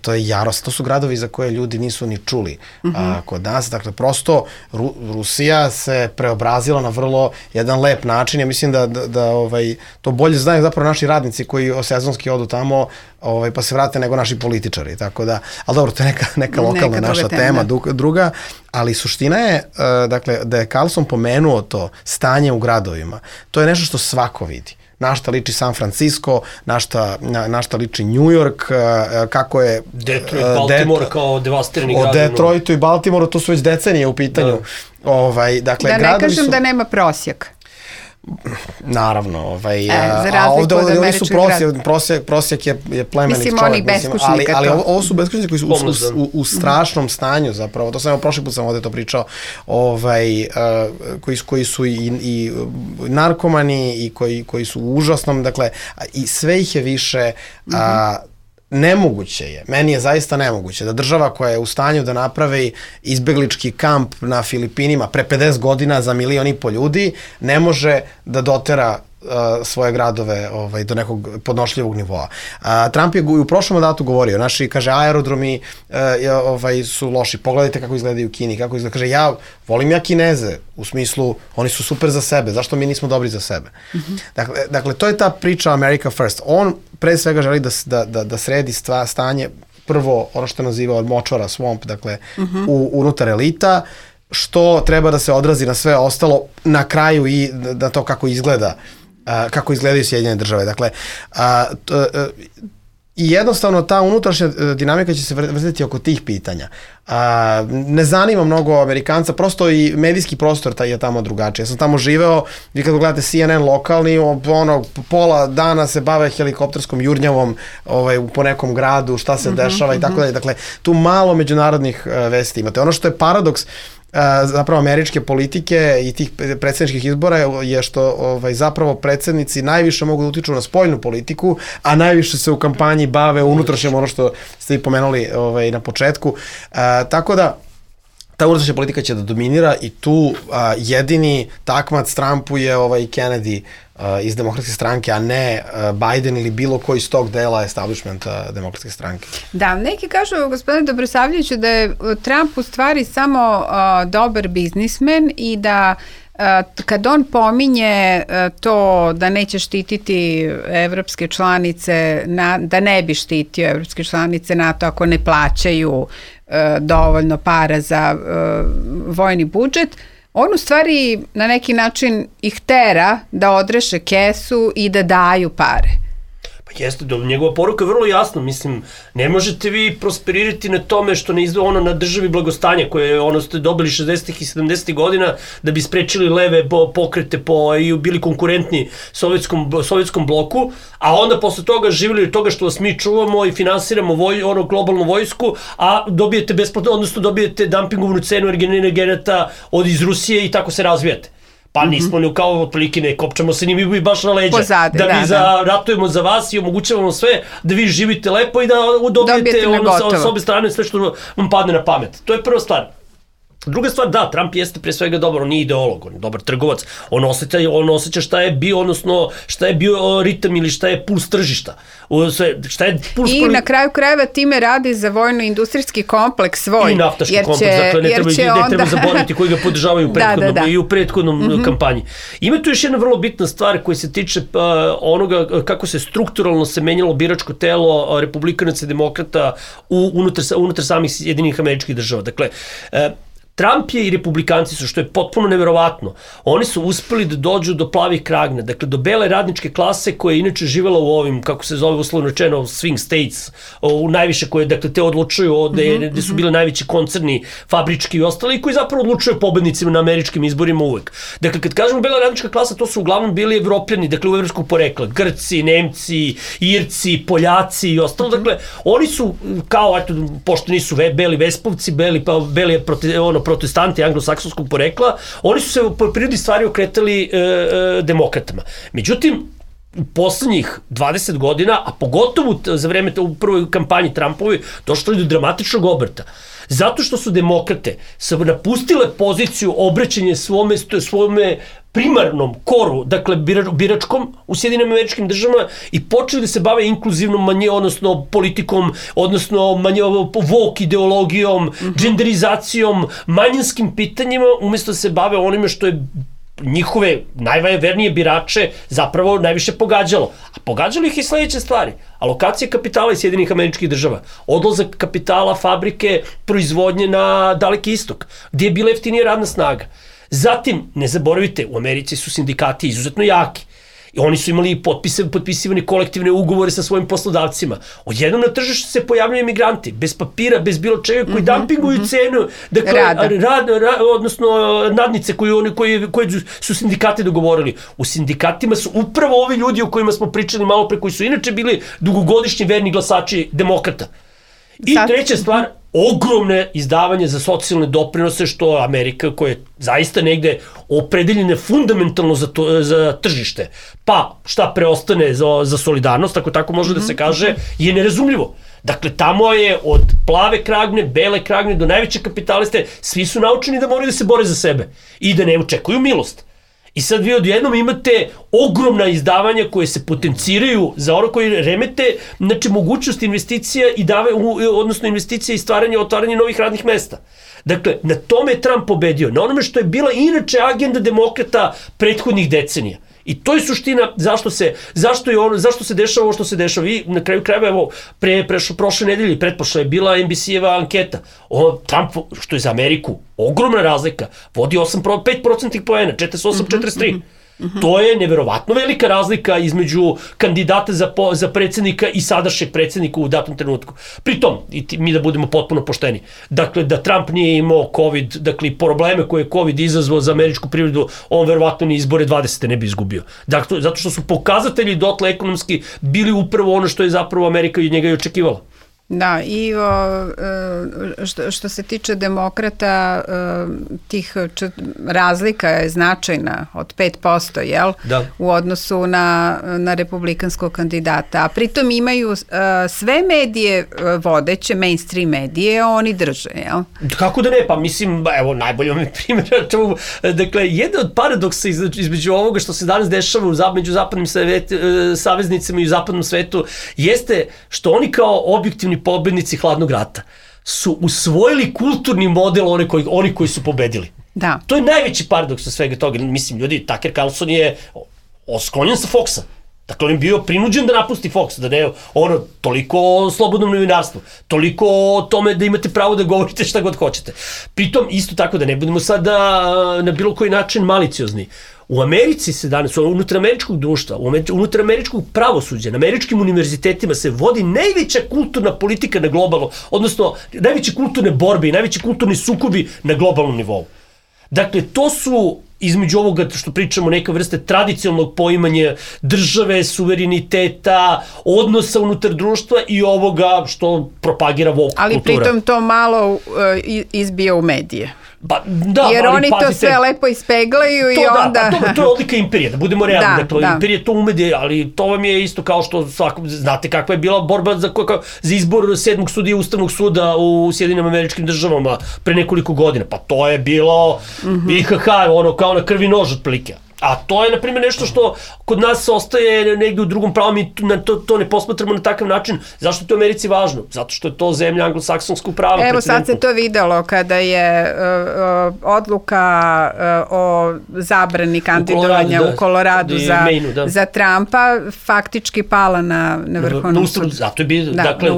to je Jaros, to su gradovi za koje ljudi nisu ni čuli a, kod nas. Dakle, prosto Ru, Rusija se preobrazila na vrlo jedan lep način. Ja mislim da, da, da ovaj, to bolje znaju zapravo naši radnici koji sezonski odu tamo ovaj, pa se vrate nego naši političari. Tako da, ali dobro, to je neka, neka lokalna neka naša tema, tema druga, ali suština je, uh, dakle, da je Carlson pomenuo to stanje u gradovima. To je nešto što svako vidi. Na šta liči San Francisco, na šta, na, na šta liči New York, kako je... Detroit, Baltimore Det, kao devastirani grad. O Detroitu i Baltimoru, to su već decenije u pitanju. Da, ovaj, dakle, da ne kažem su, da nema prosjek. Naravno, ovaj, e, za razliku ovde, od ovde su prosjek, grad. prosjek, prosjek je, je plemenit mislim, čovjek. Mislim, oni beskućnika ali, ali to. ovo, ovo su beskućnici koji su u, u, u strašnom stanju zapravo, to sam evo prošli put sam ovde to pričao, ovaj, uh, koji, koji su i, i narkomani i koji, koji su u užasnom, dakle, i sve ih je više... Uh, mm-hmm. Nemoguće je, meni je zaista nemoguće da država koja je u stanju da napravi izbeglički kamp na Filipinima pre pedeset godina za milion i po ljudi, ne može da dotera uh, svoje gradove ovaj, do nekog podnošljivog nivoa. Uh, Trump je u prošlom mandatu govorio, naši, kaže, aerodromi uh, ovaj, su loši, pogledajte kako izgledaju u Kini, kako izgleda, kaže, ja volim ja Kineze, u smislu, oni su super za sebe, zašto mi nismo dobri za sebe? Mm-hmm. Dakle, dakle, to je ta priča America First. On pre svega želi da, da, da, da sredi stva, stanje, prvo ono što je nazivao močvara, swamp, dakle, mm-hmm. u, unutar elita, što treba da se odrazi na sve ostalo, na kraju i na to kako izgleda, uh, kako izgledaju Sjedinjene države. Dakle, uh, t, uh, i jednostavno ta unutrašnja dinamika će se vrtiti oko tih pitanja. A, ne zanima mnogo Amerikanca, prosto i medijski prostor taj je tamo drugačiji. Ja sam tamo živeo, vi kad gledate C N N lokalni, ono, pola dana se bave helikopterskom jurnjavom ovaj, po nekom gradu, šta se mm-hmm, dešava mm-hmm. i tako dalje. Dakle, tu malo međunarodnih uh, vesti imate. Ono što je paradoks Uh, zapravo američke politike i tih predsjedničkih izbora je što ovaj, zapravo predsjednici najviše mogu da utiču na spoljnu politiku, a najviše se u kampanji bave unutrašnjom, ono što ste i pomenuli ovaj, na početku. Uh, tako da ta unutrašnja politika će da dominira i tu a, jedini takmac Trumpu je ovaj Kennedy a, iz demokratske stranke, a ne a, Biden ili bilo koji iz tog dela establishmenta demokratske stranke. Da, neki kažu, gospodine Dobrosavljeviću, da je Trump u stvari samo a, dobar biznismen i da kad on pominje to da neće štititi evropske članice, na, da ne bi štitio evropske članice NATO ako ne plaćaju e, dovoljno para za e, vojni budžet, on u stvari na neki način ih tera da odreše kesu i da daju pare. Pa jeste, do, njegova poruka je vrlo jasna, mislim, ne možete vi prosperirati na tome što ne izve ono na državi blagostanja koje ono ste dobili šezdesetih i sedamdesetih godina da bi sprečili leve pokrete po, i bili konkurentni sovjetskom, sovjetskom bloku, a onda posle toga živjeli od toga što vas mi čuvamo i finansiramo voj, ono globalnu vojsku, a dobijete besplatno, odnosno dobijete dumpingovnu cenu energenata od iz Rusije i tako se razvijate. Pa nismo ni kao otprilike ne kopčamo se ni mi baš na leđa. Pozade, da mi da, za, da. ratujemo za vas i omogućavamo sve da vi živite lepo i da dobijete, dobijete ono, sa, sa obe strane sve što vam padne na pamet. To je prva stvar. Druga stvar, da, Trump jeste pre svega dobar, on nije ideolog, on je dobar trgovac, on osjeća, on osjeća šta je bio, odnosno šta je bio ritam ili šta je puls tržišta. Šta je puls I poli... na kraju krajeva time radi za vojno-industrijski kompleks svoj. I naftaški će, kompleks, dakle ne treba, ne onda... treba zaboraviti koji ga podržavaju u prethodnom, da, da, da. i u prethodnom mm-hmm. kampanji. Ima tu još jedna vrlo bitna stvar koja se tiče uh, onoga kako se strukturalno se menjalo biračko telo uh, republikanaca i demokrata u, unutar, unutar samih Jedinih Američkih Država. Dakle, uh, Trump je i republikanci su, što je potpuno neverovatno, oni su uspeli da dođu do plavih kragna, dakle do bele radničke klase koja je inače živjela u ovim, kako se zove uslovno rečeno, swing states, u najviše koje, dakle, te odlučuju ovde, mm-hmm. gde su bile najveći koncerni, fabrički i ostali, koji zapravo odlučuju pobednicima na američkim izborima uvek. Dakle, kad kažemo bela radnička klasa, to su uglavnom bili evropljani, dakle, u evropskog porekla, Grci, Nemci, Irci, Poljaci i ostalo, mm-hmm. dakle, oni su, kao, eto, pošto nisu ve, beli vespovci, beli, pa, beli, prote, ono, protestanti anglosaksonskog porekla, oni su se po prirodi stvari okretali e, e, demokratama. Međutim, u poslednjih dvadeset godina, a pogotovo za vreme u prvoj kampanji Trumpovi, došlo je do dramatičnog obrta. Zato što su demokrate napustile poziciju obraćanja svome, svome primarnom koru, dakle biračkom u Sjedinim Američkim Državama i počeli da se bave inkluzivnom manje, odnosno politikom, odnosno manje, woke ideologijom, mm-hmm. genderizacijom, manjinskim pitanjima, umjesto da se bave onime što je njihove najvernije birače zapravo najviše pogađalo. A pogađalo ih i sledeće stvari. Alokacija kapitala iz Sjedinih Američkih Država, odlazak kapitala, fabrike, proizvodnje na Daleki istok, gdje je bila jeftinija radna snaga. Zatim, ne zaboravite, u Americi su sindikati izuzetno jaki. I oni su imali potpise, potpisivane kolektivne ugovore sa svojim poslodavcima. Odjednom na tržištu se pojavljaju emigranti, bez papira, bez bilo čega, koji mm-hmm, dumpinguju mm-hmm. cenu, dakle, rad, rad, odnosno nadnice koje, oni, koje, koje su sindikati dogovorili. U sindikatima su upravo ovi ljudi o kojima smo pričali malo pre, koji su inače bili dugogodišnji verni glasači demokrata. I Sad... treća stvar, ogromne izdavanje za socijalne doprinose, što Amerika, koja je zaista negde opredeljena fundamentalno za, to, za tržište, pa šta preostane za, za solidarnost, ako tako može mm-hmm. da se kaže, je nerazumljivo. Dakle, tamo je od plave kragne, bele kragne do najveće kapitaliste, svi su naučeni da moraju da se bore za sebe i da ne očekuju milost. I sad vi odjednom imate ogromna izdavanja koje se potenciraju za ono koji remete, znači mogućnost investicija i dave, odnosno investicija i stvaranje, otvaranje novih radnih mesta. Dakle, na tome je Trump pobedio, na onome što je bila inače agenda demokrata prethodnih decenija. I to je suština zašto se, zašto je ono, zašto se dešava ovo što se dešava. I na kraju krajeva, evo, pre, prešlo, prošle nedelje, pretprošle je bila en bi si-eva anketa. O, Trump, što je za Ameriku ogromna razlika, vodi osam, pet procentnih poena, četrdeset osam četrdeset tri. Mm-hmm. To je neverovatno velika razlika između kandidata za, po, za predsjednika i sadašnjeg predsjednika u datom trenutku. Pritom, i ti, mi da budemo potpuno pošteni, dakle, da Trump nije imao COVID, dakle, probleme koje je COVID izazvao za američku privredu, on verovatno ni izbore dvadesete ne bi izgubio. Dakle, zato što su pokazatelji dotle ekonomski bili upravo ono što je zapravo Amerika i njega i očekivala. Da, i o, što, što se tiče demokrata, tih razlika je značajna od pet posto, jel? Da. U odnosu na, na republikanskog kandidata. A pritom imaju sve medije vodeće, mainstream medije, oni drže, jel? Kako da ne? Pa mislim, evo, najbolje vam je primjer. Dakle, jedan od paradoksa između ovoga što se danas dešava u, među zapadnim saveznicima i u zapadnom svetu jeste što oni kao objektivni pobednici hladnog rata su usvojili kulturni model oni koji, oni koji su pobedili. Da. To je najveći paradoks od svega toga. Mislim, ljudi, Tucker Carlson je osklonjen sa Foxa. Dakle, on je bio prinuđen da napusti Fox, da ne, ono, toliko o slobodnom novinarstvu, toliko o tome da imate pravo da govorite šta god hoćete. Pritom, isto tako da ne budemo sada na bilo koji način maliciozni. U Americi se danas, unutar američkog društva, unutar američkog pravosuđa, na američkim univerzitetima se vodi najveća kulturna politika na globalnom, odnosno najveće kulturne borbe i najveći kulturni sukobi na globalnom nivou. Dakle, to su između ovoga što pričamo neka vrste tradicionalnog poimanja države, suvereniteta, odnosa unutar društva i ovoga što propagira woke kultura. Ali pritom to malo uh, izbija u medije. Ba, da, jer oni pazite, to sve lepo ispeglaju to, i onda... Da, pa to, to je odlika imperije, da budemo realni. Da, dakle, da. Imperije to umede, ali to vam je isto kao što svako, znate kakva je bila borba za, za izbor sedmog sudija Ustavnog suda u Sjedinim Američkim Državama pre nekoliko godina. Pa to je bilo mm-hmm. I ha ha, ono kao na krvi nož otprilike. A to je, na primjer, nešto što kod nas ostaje negdje u drugom pravu, mi to, to ne posmatramo na takav način. Zašto je to u Americi važno? Zato što je to zemlja anglosaksonskog prava. Evo sad se to videlo kada je uh, odluka uh, o zabrani kandidovanja u Koloradu, da, za, Mainu, da. za Trumpa faktički pala na, na Vrhovnom sudu. Zato je bi, da, dakle,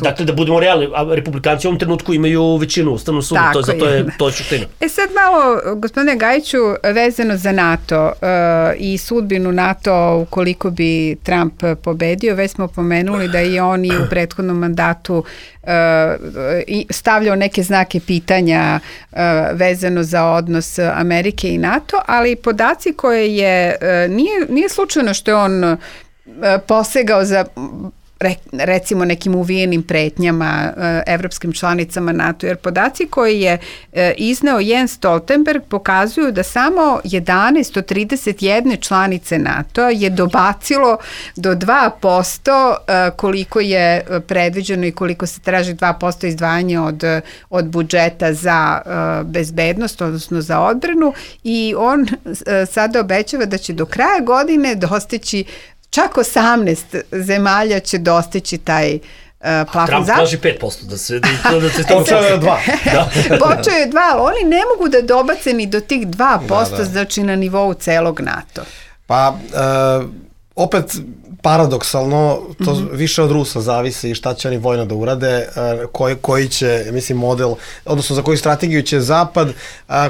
dakle, da budemo realni, a republikanci u ovom trenutku imaju većinu u Ustavnom sudu, to, zato je, to je suština. E sad malo, gospodine Gajiću, vezano za NATO, Uh, i sudbinu NATO ukoliko bi Trump pobedio, već smo pomenuli da je on i u prethodnom mandatu uh, stavljao neke znake pitanja uh, vezano za odnos Amerike i NATO, ali podaci koje je, uh, nije, nije slučajno što je on uh, posegao za recimo nekim uvijenim pretnjama evropskim članicama NATO, jer podaci koji je izneo Jens Stoltenberg pokazuju da samo jedanaest od trideset jedne članice NATO je dobacilo do dva posto koliko je predviđeno i koliko se traži dva posto izdvajanja od, od budžeta za bezbednost, odnosno za odbranu, i on sada obećava da će do kraja godine dostići čak osamnaest zemalja će dostići taj uh, plafon. Trump traži pet posto, da se da se to počeo je dva. Da. Počeo je dva, ali oni ne mogu da dobace ni do tih dva posto, da, da. Znači na nivou celog NATO. Pa, uh, opet paradoksalno, to mm-hmm. više od Rusa zavisi šta će oni vojno da urade, koji, koji će, mislim, model, odnosno za koju strategiju će Zapad,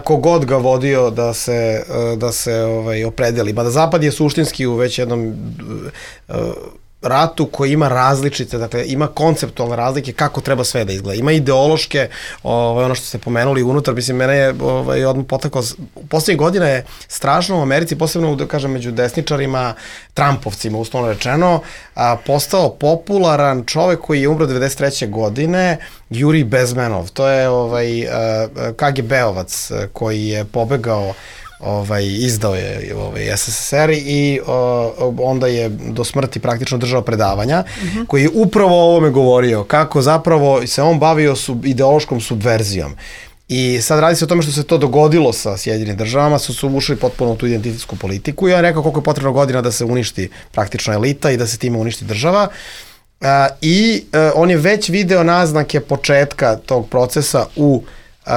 kogod ga vodio da se, da se ovaj, opredeli. Mada Zapad je suštinski u već jednom ratu koji ima različite, dakle ima konceptualne razlike kako treba sve da izgleda. Ima ideološke, ovaj, ono što ste pomenuli unutar, mislim, mene je ovaj, odmah potakao, u poslednjih godina je strašno u Americi, posebno, da kažem, među desničarima, Trumpovcima, uslovno rečeno, a, postao popularan čovek koji je umro devedeset treće godine, Jurij Bezmenov. To je ovaj, K G B-ovac koji je pobegao, ovaj, izdao je ovaj, S S S R i o, onda je do smrti praktično držao predavanja, uh-huh. koji je upravo o ovome govorio, kako zapravo se on bavio sub, ideološkom subverzijom. I sad radi se o tome što se to dogodilo sa Sjedinjenim državama, su, su ušli potpuno u tu identitetsku politiku i on je rekao koliko je potrebno godina da se uništi praktično elita i da se time uništi država. Uh, I uh, on je već video naznake početka tog procesa u Uh,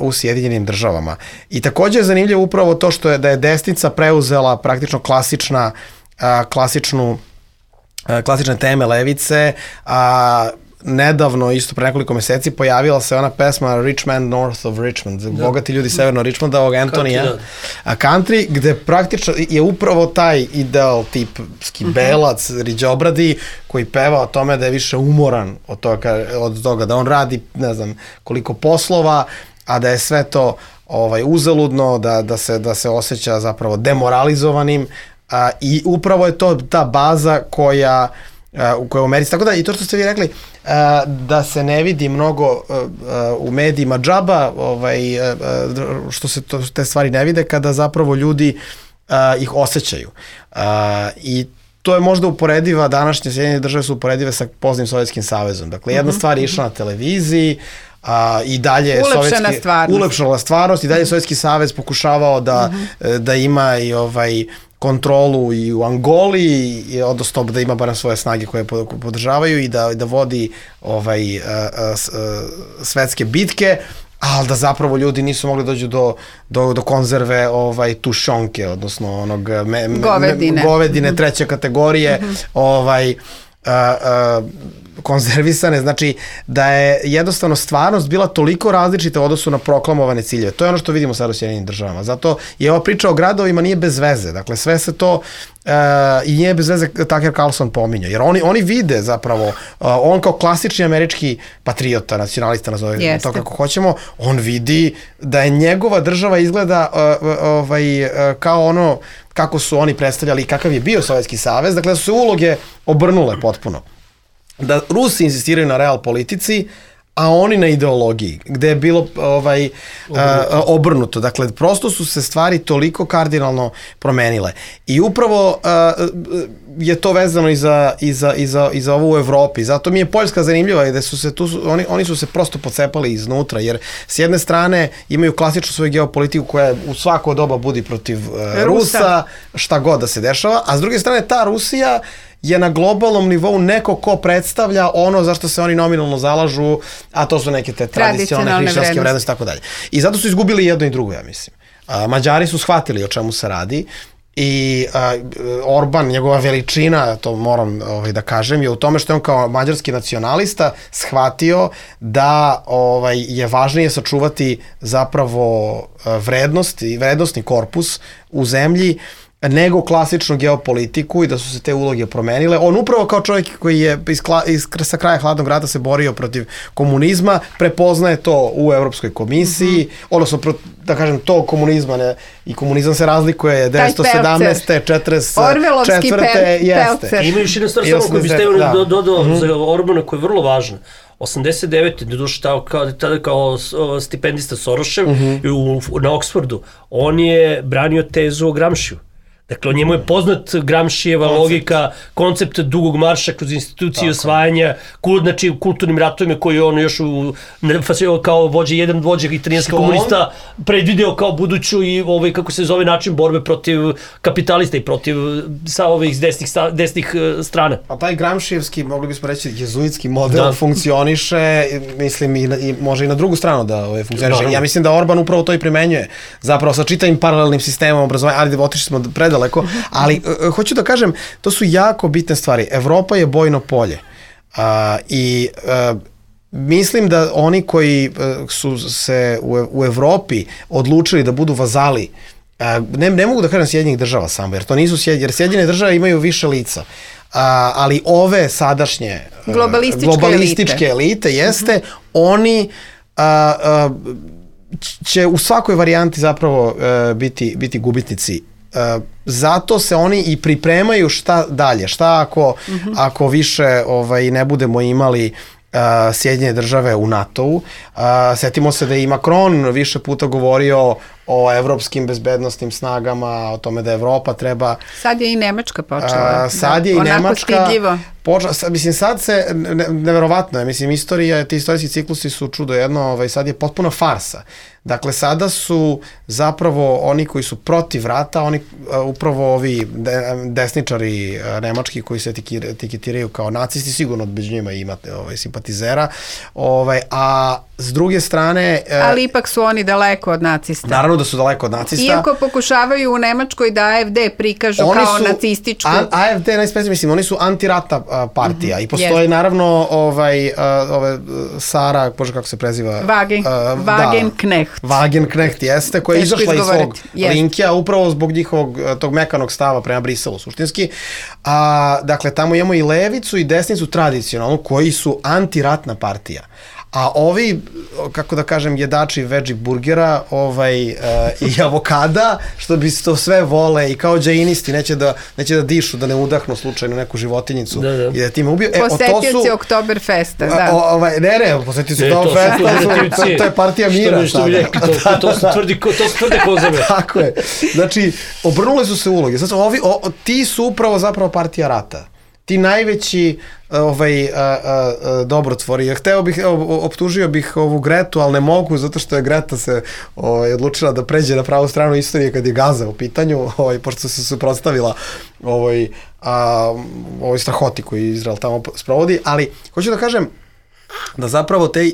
uh, u Sjedinjenim državama. I takođe je zanimljivo upravo to što je da je desnica preuzela praktično klasična uh, klasičnu uh, klasične teme levice, a uh, nedavno, isto pre nekoliko meseci, pojavila se ona pesma Rich Man North of Richmond, da. Bogati ljudi severno Richmonda, ovog Antonija, country, da. A country, gde praktično je upravo taj ideal tipski uh-huh. belac, riđobradi, koji peva o tome da je više umoran od toga, od toga, da on radi, ne znam, koliko poslova, a da je sve to ovaj, uzaludno, da, da, se, da se osjeća zapravo demoralizovanim, a, i upravo je to ta baza koja u kojoj u Americi, tako da i to što ste vi rekli, da se ne vidi mnogo u medijima džaba, ovaj, što se to, te stvari ne vide, kada zapravo ljudi ih osjećaju. I to je možda uporediva, današnje Sjedinjene države su uporedive sa poznim Sovjetskim savezom. Dakle, jedna mm-hmm. stvar je išla na televiziji, a, i dalje ulepšana stvarnost. Ulepšana stvarnost i dalje Sovjetski savez pokušavao da, mm-hmm. da ima i ovaj kontrolu i u Angoli, i, odnosno da ima barem svoje snage koje podržavaju i da, da vodi ovaj, a, a, a, svetske bitke, ali da zapravo ljudi nisu mogli dođu do, do, do konzerve ovaj, tušonke, odnosno onog me, me, govedine, govedine treće kategorije, mm-hmm. ovaj, a, a, konzervisane, znači da je jednostavno stvarnost bila toliko različita u odnosu na proklamovane ciljeve. To je ono što vidimo sad u Sjedinjenim državama. Zato je ova priča o gradovima nije bez veze. Dakle, sve se to uh, i nije bez veze Tucker Carlson pominja. Jer oni, oni vide zapravo, uh, on kao klasični američki patriota, nacionalista, nazove to kako hoćemo, on vidi da je njegova država izgleda uh, uh, ovaj, uh, kao ono kako su oni predstavljali i kakav je bio Sovjetski savez. Dakle, da su se uloge obrnule potpuno. Da Rusi insistiraju na real politici, a oni na ideologiji, gde je bilo ovaj, obrnuto. Uh, obrnuto. Dakle, prosto su se stvari toliko kardinalno promenile. I upravo uh, je to vezano i za, i za, i za, i za ovo u Evropi. Zato mi je Poljska zanimljiva i da su se tu, oni, oni su se prosto pocepali iznutra, jer s jedne strane imaju klasičnu svoju geopolitiku koja u svako doba budi protiv uh, Rusa. Rusa, šta god da se dešava, a s druge strane ta Rusija je na globalnom nivou neko ko predstavlja ono zašto se oni nominalno zalažu, a to su neke te tradicionalne hrišćanske vrednosti i tako dalje. I zato su izgubili jedno i drugo, ja mislim. A, Mađari su shvatili o čemu se radi i a, Orban, njegova veličina, to moram ovaj, da kažem, je u tome što je on kao mađarski nacionalista shvatio da ovaj, je važnije sačuvati zapravo vrednost i vrednostni korpus u zemlji nego klasičnu geopolitiku i da su se te uloge promenile. On upravo kao čovjek koji je iz, iz, sa kraja hladnog rata se borio protiv komunizma, prepoznaje to u Evropskoj komisiji, mm-hmm. odnosno, da kažem, to komunizma ne, i komunizam se razlikuje devetsto sedamnaeste. četrdeset četvrte jeste. Ima još jedna stvar samo koju biste da. dodao mm-hmm. za Orbana koja je vrlo važna. osamdeset devete. doduše tada kao stipendista Sorošev mm-hmm. u, na Oksfordu, on je branio tezu o Gramšiju. Dakle, njemu je poznat Gramšijeva koncept. logika, koncept dugog marša kroz institucije osvajanja, kult, znači kulturnim ratovima koji on još u, kao vođe, jedan vođe italijanski komunista predvideo kao buduću i ovaj, kako se zove, način borbe protiv kapitalista i protiv sa ovih desnih, desnih strana. A taj Gramšijevski, mogli bismo reći, jezuitski model da. funkcioniše, mislim, i, na, i može i na drugu stranu da ovaj, funkcioniše. Da, ja mislim da Orban upravo to i primenjuje. Zapravo sa čitavim paralelnim sistemom obrazovanja, ali otišli smo pred daleko, ali uh, hoću da kažem, to su jako bitne stvari. Evropa je bojno polje uh, i uh, mislim da oni koji uh, su se u, u Evropi odlučili da budu vazali, uh, ne, ne mogu da kažem Sjedinjenih država samo, jer to nisu Sjedinjene, jer Sjedinjene države imaju više lica. Uh, ali ove sadašnje uh, globalističke, globalističke elite, elite jeste, uh-huh. oni uh, uh, će u svakoj varijanti zapravo uh, biti, biti gubitnici. Uh, zato se oni i pripremaju šta dalje, šta ako, mm-hmm. ako više ovaj, ne budemo imali uh, Sjedinjene države u NATO-u. Uh, setimo se da je i Macron više puta govorio o evropskim bezbednostnim snagama, o tome da Evropa treba... Sad je i Nemačka počela. Uh, sad da, je i Nemačka... Stidljivo. Počela, sad, mislim, sad se, ne, neverovatno je, mislim, istorija, ti istorijski ciklusi su čudo jedno, ovaj, sad je potpuno farsa. Dakle, sada su zapravo oni koji su protiv rata, oni uh, upravo ovi de, desničari uh, nemački koji se etiketiraju kao nacisti, sigurno među njima imate ovaj, simpatizera, ovaj, a s druge strane... Uh, Ali ipak su oni daleko od nacista. Naravno da su daleko od nacista. Iako pokušavaju u Nemačkoj da A F D prikažu oni kao nacističku... A, AFD, najsprecnije, mislim, oni su antirata uh, partija mm-hmm. i postoji yes. naravno ovaj, uh, ove, Sara, bože kako se preziva... Wagen, uh, Wagenknecht. Da, Wagenknecht jeste, koja je izašla iz svog yes. linkija upravo zbog njihovog tog mekanog stava prema Briselu suštinski. A, dakle, tamo imamo i levicu i desnicu tradicionalnu koji su antiratna partija. A ovi, kako da kažem, jedači veggie burgera ovaj, uh, i avokada, što bi to sve vole i kao džainisti, neće da, neće da dišu, da ne udahnu slučajno neku životinjicu da, da. i da time ubiju. E, Posetioci Oktoberfesta, da. O, ovaj, ne, ne, posetioci Oktoberfesta, to, to, to je partija mira. Što bi rekli, to, to su tvrdi, to su tvrde kozame. Tako je. Znači, obrnule su se uloge. Znači, ovi, o, ti su upravo zapravo partija rata. Ti najveći ovaj, a, a, a, dobrotvori. Hteo bih, optužio bih ovu Gretu, ali ne mogu, zato što je Greta se ovaj, odlučila da pređe na pravu stranu istorije kad je Gaza u pitanju, ovaj, pošto se suprotstavila ovaj, a, ovoj strahoti koju Izrael tamo sprovodi, ali hoću da kažem da zapravo te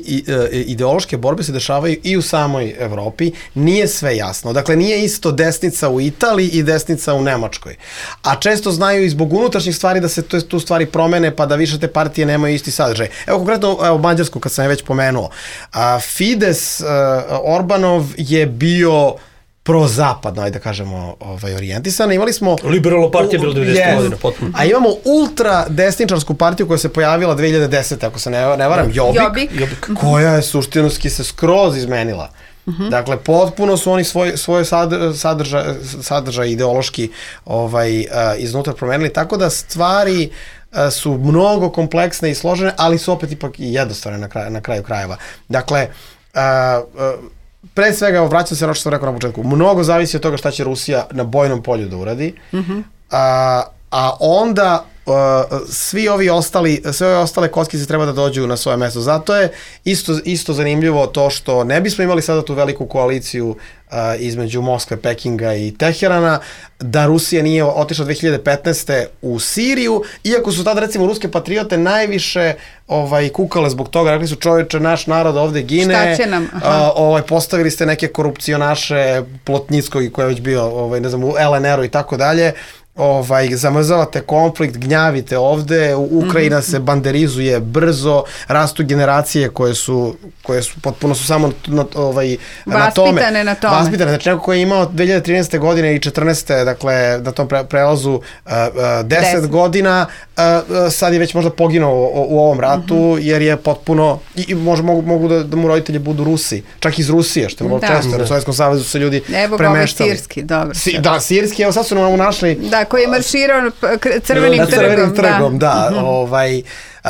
ideološke borbe se dešavaju i u samoj Evropi, nije sve jasno. Dakle, nije isto desnica u Italiji i desnica u Nemačkoj. A često znaju i zbog unutrašnjih stvari da se tu stvari promene, pa da više te partije nemaju isti sadržaj. Evo, konkretno, evo, Mađarsku, kad sam je već pomenuo. A, Fides uh, Orbanov je bio prozapadno, ajde da kažemo, ovaj, orijentisana. Imali smo... Liberalna partija bila devedesetih godina, potpuno. A imamo ultra desničarsku partiju koja se pojavila dve hiljade desete. ako se ne, ne varam, Jobbik, Jobbik, koja je suštinski se skroz izmenila. Uh-huh. Dakle, potpuno su oni svoj, svoje sadržaj, sadržaj ideološki ovaj, uh, iznutra promenili, tako da stvari uh, su mnogo kompleksne i složene, ali su opet ipak i jednostavne na, kraj, na kraju krajeva. Dakle, uh, uh, pre svega, vraćam se na što sam rekao na početku, mnogo zavisi od toga šta će Rusija na bojnom polju da uradi, uh-huh. a, a onda uh, svi ovi ostali, sve ove ostale kockice treba da dođu na svoje mesto. Zato je isto, isto zanimljivo to što ne bismo imali sada tu veliku koaliciju uh, između Moskve, Pekinga i Teherana, da Rusija nije otišla dve hiljade petnaeste u Siriju, iako su tada, recimo, ruske patriote najviše ovaj, kukale zbog toga, rekli su, čovječe, naš narod ovde gine, šta će nam? Uh, ovaj, postavili ste neke korupcionaše Plotnickog, koji je već bio, ovaj, ne znam, u L N R-u i tako dalje, ovaj, zamrzavate konflikt, gnjavite ovde, Ukrajina mm-hmm. se banderizuje brzo, rastu generacije koje su, koje su potpuno su samo na, ovaj, na tome. Vaspitane na tome. Vaspitane, znači neko koji je imao dve hiljade trinaeste. godine i četrnaeste. dakle, na tom pre, prelazu uh, uh, deset godina, uh, uh, sad je već možda poginuo u, u ovom ratu, mm-hmm. jer je potpuno, i, i možda mogu, mogu da, da mu roditelji budu Rusi, čak iz Rusije, što je vrlo često, jer u Sovjetskom savezu se ljudi evo premeštali. Evo sirski, dobro. Si, da, sirski, evo sad su nam našli. Da, koji je marširao crvenim da, trgom. Crvenim trgom, da. da mm-hmm. ovaj,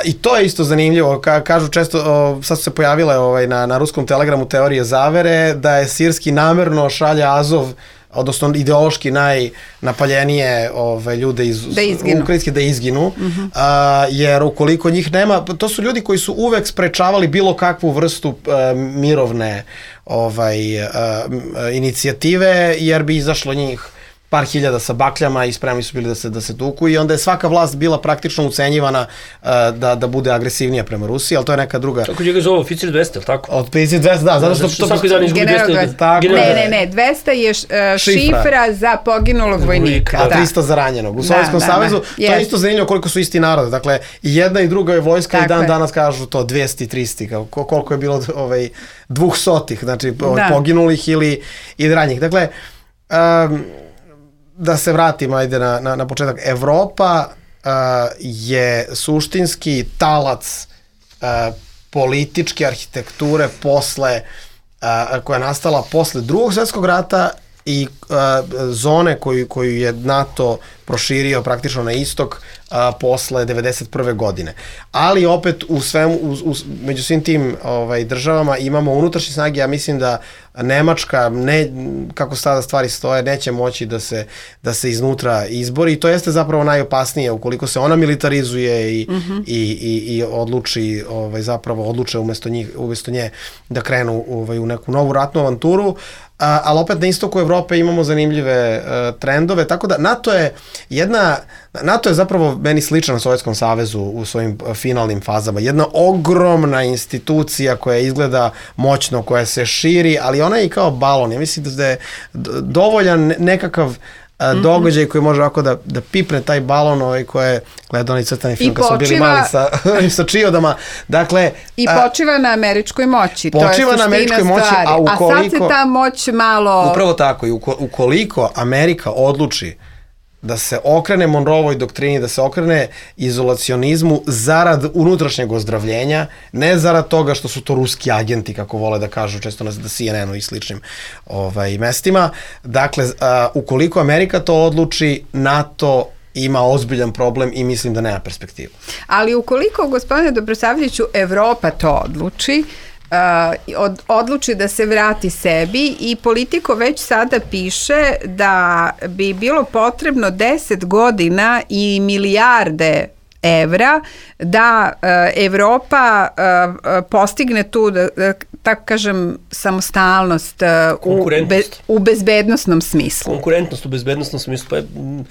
I to je isto zanimljivo, Ka, kažu često, o, sad su se pojavile ovaj, na, na ruskom telegramu teorije zavere, da je sirski namerno šalje Azov, odnosno ideološki najnapaljenije ove, ljude iz da Ukrajinske da izginu, mm-hmm. a, jer ukoliko njih nema, to su ljudi koji su uvek sprečavali bilo kakvu vrstu a, mirovne ovaj, a, a, inicijative, jer bi izašlo njih par hiljada sa bakljama i spremni su bili da se, da se tuku i onda je svaka vlast bila praktično ucenjivana uh, da, da bude agresivnija prema Rusiji, ali to je neka druga... Kako njega zove oficir dvesta, ili tako? Oficir dvesta, da, zato što... što svaki dan izgubi dvesta... Ne, ne, ne, dvesta je uh, šifra. šifra za poginulog vojnika. A tristo za ranjenog. U da, Sovjetskom da, savezu da, to je isto zanimljivo koliko su isti narode. Dakle, i jedna i druga je vojska tako i dan je. danas kažu to dvesta i trista, koliko je bilo ovaj, dvusotih, znači da. poginulih ili i ranjih. Dakle, um, da se vratimo ajde na, na, na početak. Evropa uh, je suštinski talac uh, političke arhitekture posle, uh, koja je nastala posle drugog svjetskog rata i uh, zone koju, koju je NATO proširio praktično na istok uh, posle devedeset prve. godine. Ali opet u svemu, u, u, među svim tim ovaj, državama imamo unutrašnje snage, ja mislim da Nemačka, ne, kako sada stvari stoje, neće moći da se, da se iznutra izbori i to jeste zapravo najopasnije ukoliko se ona militarizuje i, mm-hmm. i, i, i odluči, ovaj, zapravo odluče umesto, njih, umesto nje da krenu ovaj, u neku novu ratnu avanturu, a, ali opet na istoku Evrope imamo zanimljive uh, trendove, tako da NATO je jedna, NATO je zapravo meni sličan Sovjetskom savezu u svojim finalnim fazama, jedna ogromna institucija koja izgleda moćno, koja se širi, ali ona je i kao balon. Ja mislim da je dovoljan nekakav a, događaj koji može ovako da, da pipne taj balon ovaj koje gleda onaj crtani film kad smo bili mali sa, sa čiodama. Dakle, I počiva na američkoj moći. Počiva to je na američkoj moći, stvari. a ukoliko... A sad se ta moć malo... Upravo tako. I ukoliko Amerika odluči da se okrene Monroevoj doktrini, da se okrene izolacionizmu zarad unutrašnjeg ozdravljenja, ne zarad toga što su to ruski agenti, kako vole da kažu često na C N N-u i sličnim ovaj, mestima. Dakle, a, ukoliko Amerika to odluči, NATO ima ozbiljan problem i mislim da nema perspektivu. Ali ukoliko, gospodine Dobrosavljeviću, Evropa to odluči, Uh, od, odluči da se vrati sebi i Politico već sada piše da bi bilo potrebno deset godina i milijarde evra da uh, Evropa uh, postigne tu, da, da, tako kažem, samostalnost uh, u, be, u bezbednosnom smislu. Konkurentnost u bezbednosnom smislu, pa je... M,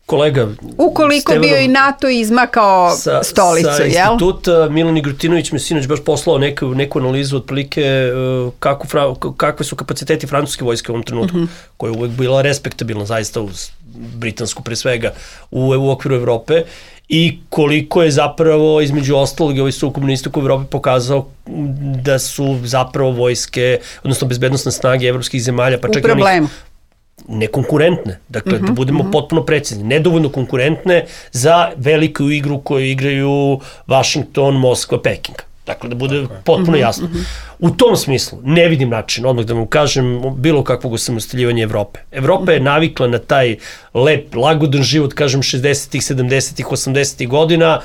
kolega ukoliko Stevanom, bio i NATO izmakao sa, stolicu, sa jel? Sa instituta Milan Igrutinović me sinoć baš poslao neku, neku analizu otprilike uh, kako, kakve su kapaciteti francuske vojske u ovom trenutku, mm-hmm. koja je uvek bila respektabilna zaista uz britansku pre svega u, u okviru Evrope i koliko je zapravo između ostalog ovaj sukob na istoku Evrope pokazao da su zapravo vojske, odnosno bezbednosne snage evropskih zemalja, pa čak i onih nekonkurentne, dakle mm-hmm, da budemo mm-hmm. potpuno precizni, nedovoljno konkurentne za veliku igru koju igraju Washington, Moskva, Peking. Dakle, da bude potpuno jasno. Mm-hmm. U tom smislu ne vidim način, odmah da vam kažem, bilo kakvog osamostaljivanja Evrope. Evropa je navikla na taj lep, lagodan život, kažem, šezdesetih, sedamdesetih, osamdesetih godina,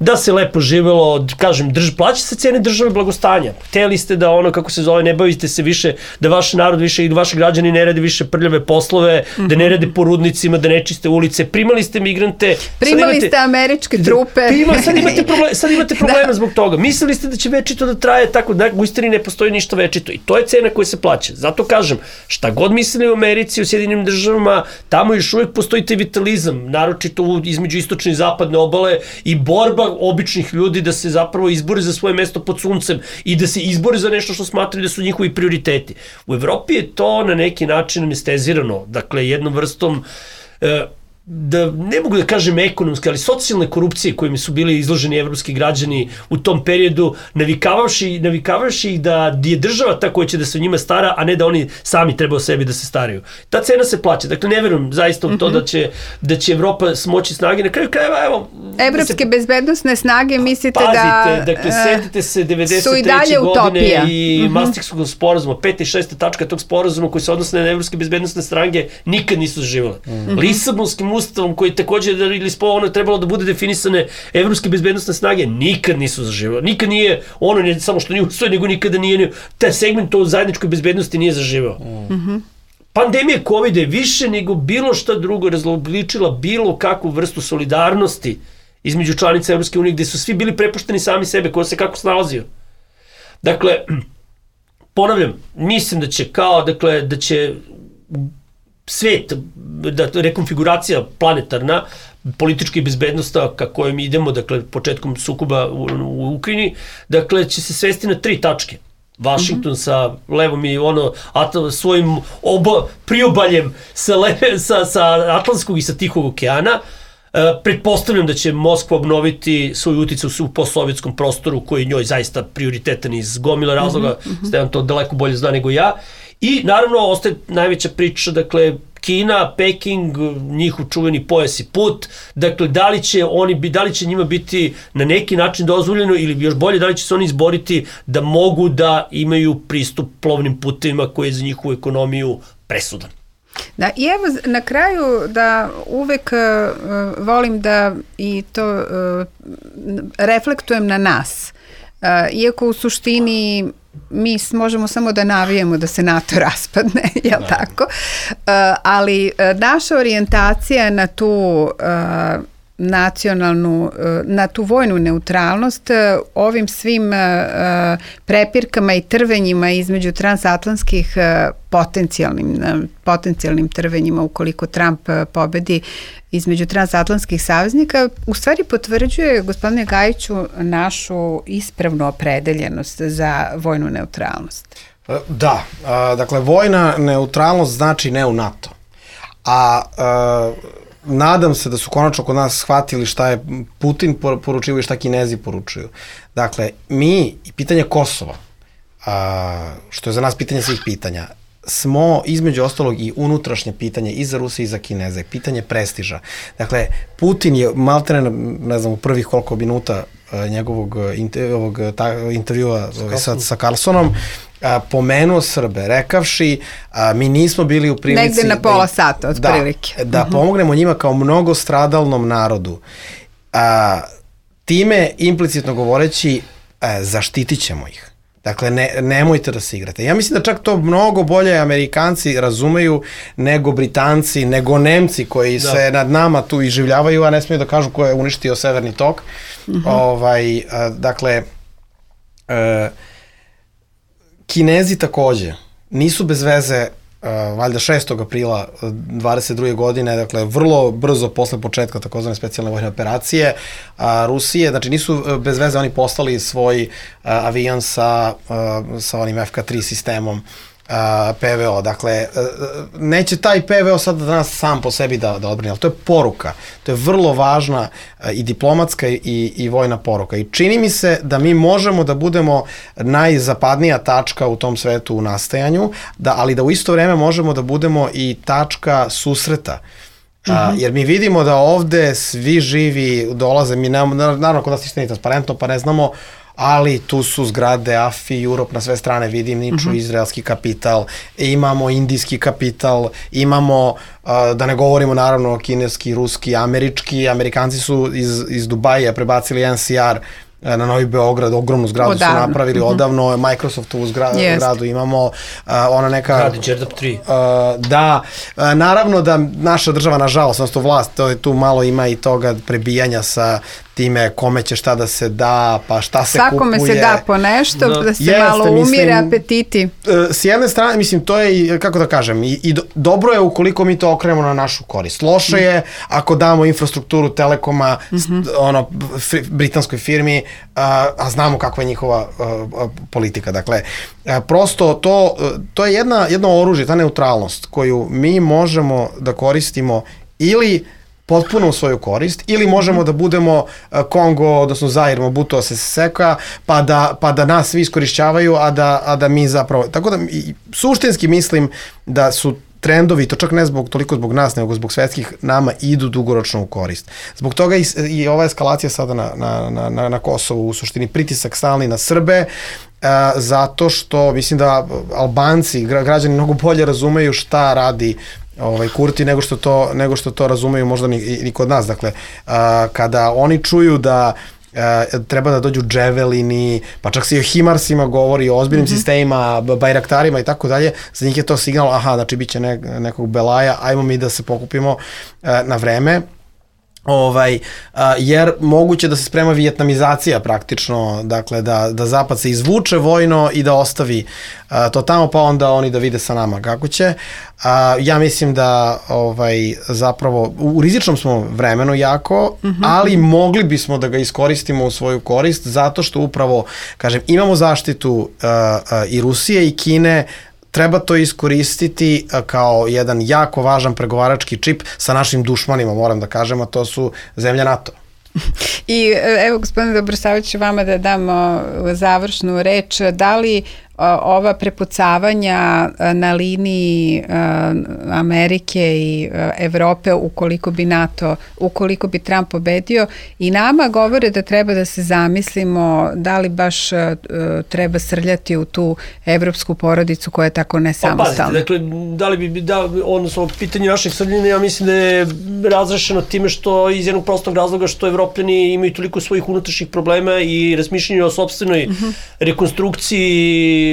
da se lepo živelo, kažem, drž, plaća se cene države blagostanja. Hteli ste da ono, kako se zove, ne bavite se više, da vaš narod više i vaši građani ne rade više prljave poslove, mm-hmm. da ne rade po rudnicima, da ne čiste ulice, primali ste migrante. Primali imate, ste američke trupe. Prima, sad imate problema, sad imate problema da. zbog toga. Mislili ste da će večito da traje tako, da u istini ne postoji ništa večito i to je cena koja se plaća. Zato kažem, šta god mislili u Americi, u Sjedinim državama, tamo još uvijek postoji taj vitalizam, naročito između istočne i zapadne obale i borba običnih ljudi da se zapravo izbore za svoje mesto pod suncem i da se izbore za nešto što smatraju da su njihovi prioriteti. U Evropi je to na neki način anestezirano, dakle jednom vrstom da ne mogu da kažem ekonomske, ali socijalne korupcije kojima su bili izloženi evropski građani u tom periodu, navikavavši, navikavavši ih da je država ta koja će da se o njima stara, a ne da oni sami treba o sebi da se staraju. Ta cena se plaća. Dakle, ne verujem zaista u to da će, da će Evropa smoći snage. Na kraju krajeva, evo... Evropske da se... bezbednostne snage mislite Pazite, da... Pazite, dakle, setite se devedeset treće godine utopija. I mm-hmm. Maastrichtskog sporazuma, peta i šesta tačka tog sporazuma koji se odnose na evropske bezbednostne strange, nikad nisu zaživale. Mm-hmm. Lisabonskim ustavom koji takođe ili ono trebalo da bude definisane evropske bezbednostne snage, nikad nisu zaživale. Nikad nije, ono ne samo što nije usvoje, nego nikada nije, taj segment o zajedničkoj bezbednosti nije zaživao. Mm-hmm. Pandemija kovida je više nego bilo šta drugo razlobličila bilo kakvu vrstu solidarnosti između članica Evropske unije, gde su svi bili prepušteni sami sebe, ko se kako snalazio. Dakle, ponavljam, mislim da će kao, dakle, da će svet, da rekonfiguracija planetarna, politička i bezbednosta ka kojom idemo, dakle, početkom sukoba u, u Ukrajini, dakle, će se svesti na tri tačke. Washington mm-hmm. sa levom i ono ato, svojim oba priobaljem sa, leve, sa, sa Atlantskog i sa Tihog okeana. E, pretpostavljam da će Moskva obnoviti svoj uticaj u postsovjetskom prostoru koji je njoj zaista prioritetan iz gomila razloga, mm-hmm. Stevan to daleko bolje zna nego ja. I naravno ostaje najveća priča, dakle, Kina, Peking, njihov čuveni pojas i put, dakle, da li će oni, da li će njima biti na neki način dozvoljeno ili još bolje, da li će se oni izboriti da mogu da imaju pristup plovnim putevima koji je za njihovu ekonomiju presudan. Da, i evo na kraju da uvek uh, volim da i to uh, reflektujem na nas. Uh, iako u suštini mi možemo samo da navijemo da se NATO raspadne, jel da. Tako? Uh, ali uh, naša orijentacija na tu uh, nacionalnu, uh, na tu vojnu neutralnost uh, ovim svim uh, prepirkama i trvenjima između transatlantskih uh, potencijalnim, uh, potencijalnim trvenjima ukoliko Trump uh, pobedi između transatlantskih saveznika, u stvari potvrđuje, gospodine Gajiću, našu ispravnu opredeljenost za vojnu neutralnost. Da, a, dakle, vojna neutralnost znači ne u NATO. A, a nadam se da su konačno kod nas shvatili šta je Putin poručio i šta Kinezi poručuju. Dakle, mi i pitanje Kosova, a, što je za nas pitanje svih pitanja, smo između ostalog i unutrašnje pitanje i za Rusije i za Kineze, pitanje prestiža. Dakle, Putin je maltene, ne znam, u prvih koliko minuta uh, njegovog inter, ovog, ta, intervjua sa, sa Carlsonom, uh, pomenuo Srbe, rekavši uh, mi nismo bili u prilici... Negde na pola sata, od da, prilike. Da uh-huh. pomognemo njima kao mnogostradalnom narodu. Uh, time, implicitno govoreći, uh, zaštitit ćemo ih. Dakle, ne, nemojte da se igrate. Ja mislim da čak to mnogo bolje Amerikanci razumeju nego Britanci, nego Nemci koji da. se nad nama tu iživljavaju, a ne smiju da kažu ko je uništio Severni tok. Uh-huh. Ovaj, a, dakle, a, Kinezi takođe nisu bez veze, a, valjda šestog aprila dvadeset druge godine, dakle, vrlo brzo posle početka takozvane specijalne vojne operacije a, Rusije, znači nisu bez veze oni poslali svoj a, avion sa, a, sa onim F K tri sistemom a, P V O. Dakle, a, neće taj P V O sad danas sam po sebi da, da odbrani, ali to je poruka. To je vrlo važna a, i diplomatska i, i vojna poruka. I čini mi se da mi možemo da budemo najzapadnija tačka u tom svetu u nastajanju, da, ali da u isto vreme možemo da budemo i tačka susreta. A, jer mi vidimo da ovde svi živi dolaze, mi nemamo, naravno kod nas ništa nije transparentno, pa ne znamo, ali tu su zgrade A F I, Europe na sve strane, vidim, niču uh-huh. izraelski kapital, imamo indijski kapital, imamo, uh, da ne govorimo naravno kineski, ruski, američki, Amerikanci su iz, iz Dubaja prebacili N C R na Novi Beograd, ogromnu zgradu odavno. Su napravili uh-huh. odavno, Microsoftovu zgra, zgradu imamo, uh, ona neka... Gradi Đerdap tri. Uh, da, uh, naravno da naša država, nažalost, odnosno vlast, to je tu malo ima i toga prebijanja sa time kome će šta da se da, pa šta se Svakome kupuje. Svakome se da po nešto, da, da se Jeste, malo umire mislim, apetiti. S jedne strane, mislim, to je, kako da kažem, i, i do, dobro je ukoliko mi to okrenemo na našu korist. Loše je ako damo infrastrukturu Telekoma, mm-hmm. st, ono, fri, britanskoj firmi, a, a znamo kakva je njihova a, a, politika. Dakle, a, prosto to, to je jedna, jedno oružje, ta neutralnost koju mi možemo da koristimo ili potpuno u svoju korist, ili možemo da budemo Kongo, odnosno Zair, Mobutu Sese Seka, pa da, pa da nas svi iskorišćavaju, a da, a da mi zapravo... Tako da, suštinski mislim da su trendovi, to čak ne zbog, toliko zbog nas, nego zbog svetskih, nama idu dugoročno u korist. Zbog toga i, i ova eskalacija sada na, na, na, na Kosovu, u suštini pritisak stalni na Srbe, a, zato što mislim da Albanci, građani mnogo bolje razumeju šta radi ovaj Kurti nego što to nego što to razumeju možda ni, ni kod nas. Dakle, a, kada oni čuju da a, treba da dođu dževelini, pa čak se i o himarsima govori, o ozbiljnim mm-hmm. sistemima, bajraktarima i tako dalje, za njih je to signal, aha, znači bit će ne, nekog belaja, ajmo mi da se pokupimo a, na vreme. Ovaj, a, jer moguće da se sprema vijetnamizacija praktično, dakle da, da Zapad se izvuče vojno i da ostavi a, to tamo, pa onda oni da vide sa nama kako će. A, ja mislim da ovaj, zapravo u rizičnom smo vremenu jako, mm-hmm. ali mogli bismo da ga iskoristimo u svoju korist, zato što upravo, kažem, imamo zaštitu a, a, i Rusije i Kine. Treba to iskoristiti kao jedan jako važan pregovarački čip sa našim dušmanima, moram da kažem, a to su zemlja NATO. I evo, gospodine Dobrosavljeviću, vama da damo završnu reč. Da li ova prepucavanja na liniji Amerike i Evrope, ukoliko bi NATO, ukoliko bi Trump pobedio, i nama govore da treba da se zamislimo da li baš treba srljati u tu evropsku porodicu koja je tako nesamostalna. Pa, dakle, da li bi, da, odnosno, pitanje našeg srljanja, ja mislim da je razrešeno time što, iz jednog prostog razloga, što Evropljani imaju toliko svojih unutrašnjih problema i razmišljanje o sopstvenoj mm-hmm. rekonstrukciji,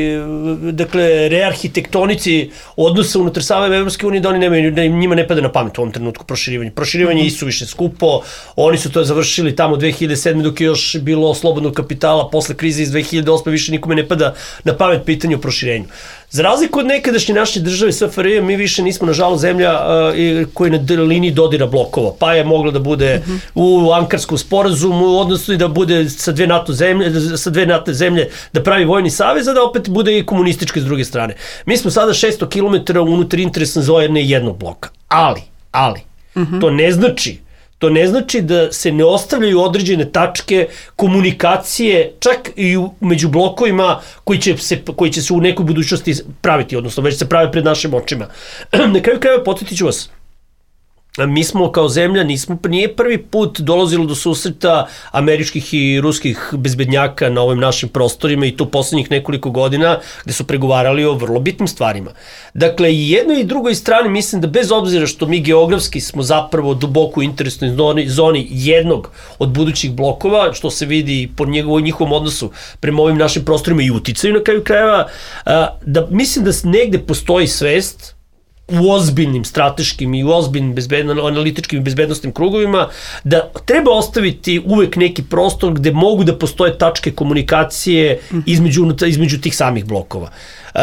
dakle, rearhitektonici odnosa unutar same Evropske unije, da oni nemaju, da im njima ne pada na pamet u ovom trenutku proširivanje. Proširivanje mm-hmm. isu više skupo, oni su to završili tamo dve hiljade sedme dok je još bilo slobodnog kapitala, posle krize iz dve hiljade osme više nikome ne pada na pamet pitanje o proširenju. Za razliku od nekadašnje naše države S F R J, mi više nismo, nažalost, zemlja uh, koja je na liniji dodira blokova, pa je mogla da bude mm-hmm. u Ankarskom sporazumu, odnosno i da bude sa dve NATO zemlje, sa dve NATO zemlje da pravi vojni savez, a da opet bude i komunističke s druge strane. Mi smo sada šesto kilometara unutar interesne zone jednog bloka, ali, ali, mm-hmm. to ne znači To ne znači da se ne ostavljaju određene tačke komunikacije, čak i među blokovima koji će se, koji će se u nekoj budućnosti praviti, odnosno već se prave pred našim očima. Na kraju krajeva podsjetit ću vas, mi smo kao zemlja, nismo, nije prvi put dolazilo do susreta američkih i ruskih bezbednjaka na ovim našim prostorima, i to poslednjih nekoliko godina, gde su pregovarali o vrlo bitnim stvarima. Dakle, i jednoj i drugoj strani mislim da bez obzira što mi geografski smo zapravo duboko u interesnoj zoni, zoni jednog od budućih blokova, što se vidi po njegovom, njihovom odnosu prema ovim našim prostorima i uticaju na kraju krajeva, da mislim da negde postoji svest u ozbiljnim strateškim i u ozbiljnim bezbedno, analitičkim i bezbednostnim krugovima, da treba ostaviti uvek neki prostor gde mogu da postoje tačke komunikacije između, između tih samih blokova. Uh,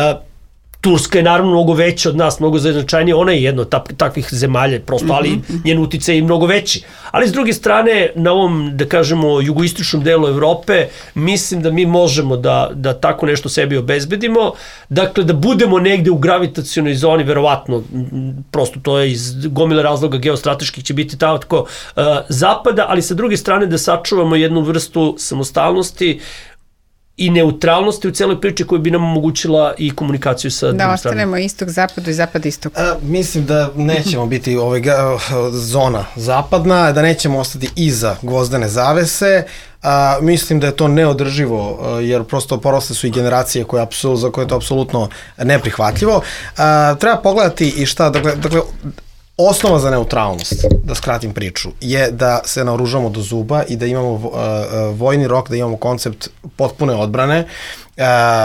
Turska je naravno mnogo veća od nas, mnogo značajnija, ona je jedna od takvih zemalja, prosto, ali njen uticaj je mnogo veći. Ali s druge strane, na ovom, da kažemo, jugoistočnom delu Evrope, mislim da mi možemo da, da tako nešto sebi obezbedimo, dakle da budemo negde u gravitacionoj zoni, verovatno, prosto to je iz gomile razloga geostrateških će biti tako uh, zapada, ali sa druge strane da sačuvamo jednu vrstu samostalnosti i neutralnosti u celoj priči koja bi nam omogućila i komunikaciju sa drugim stranom. Da ostanemo istok zapadu i zapad istok. A, mislim da nećemo biti ovaj, zona zapadna, da nećemo ostati iza gvozdene zavese. A, mislim da je to neodrživo, jer prosto porasle su i generacije koje apsul, za koje je to apsolutno neprihvatljivo. A, treba pogledati i šta, dakle, dakle osnova za neutralnost, da skratim priču, je da se naoružamo do zuba i da imamo uh, vojni rok, da imamo koncept potpune odbrane, uh,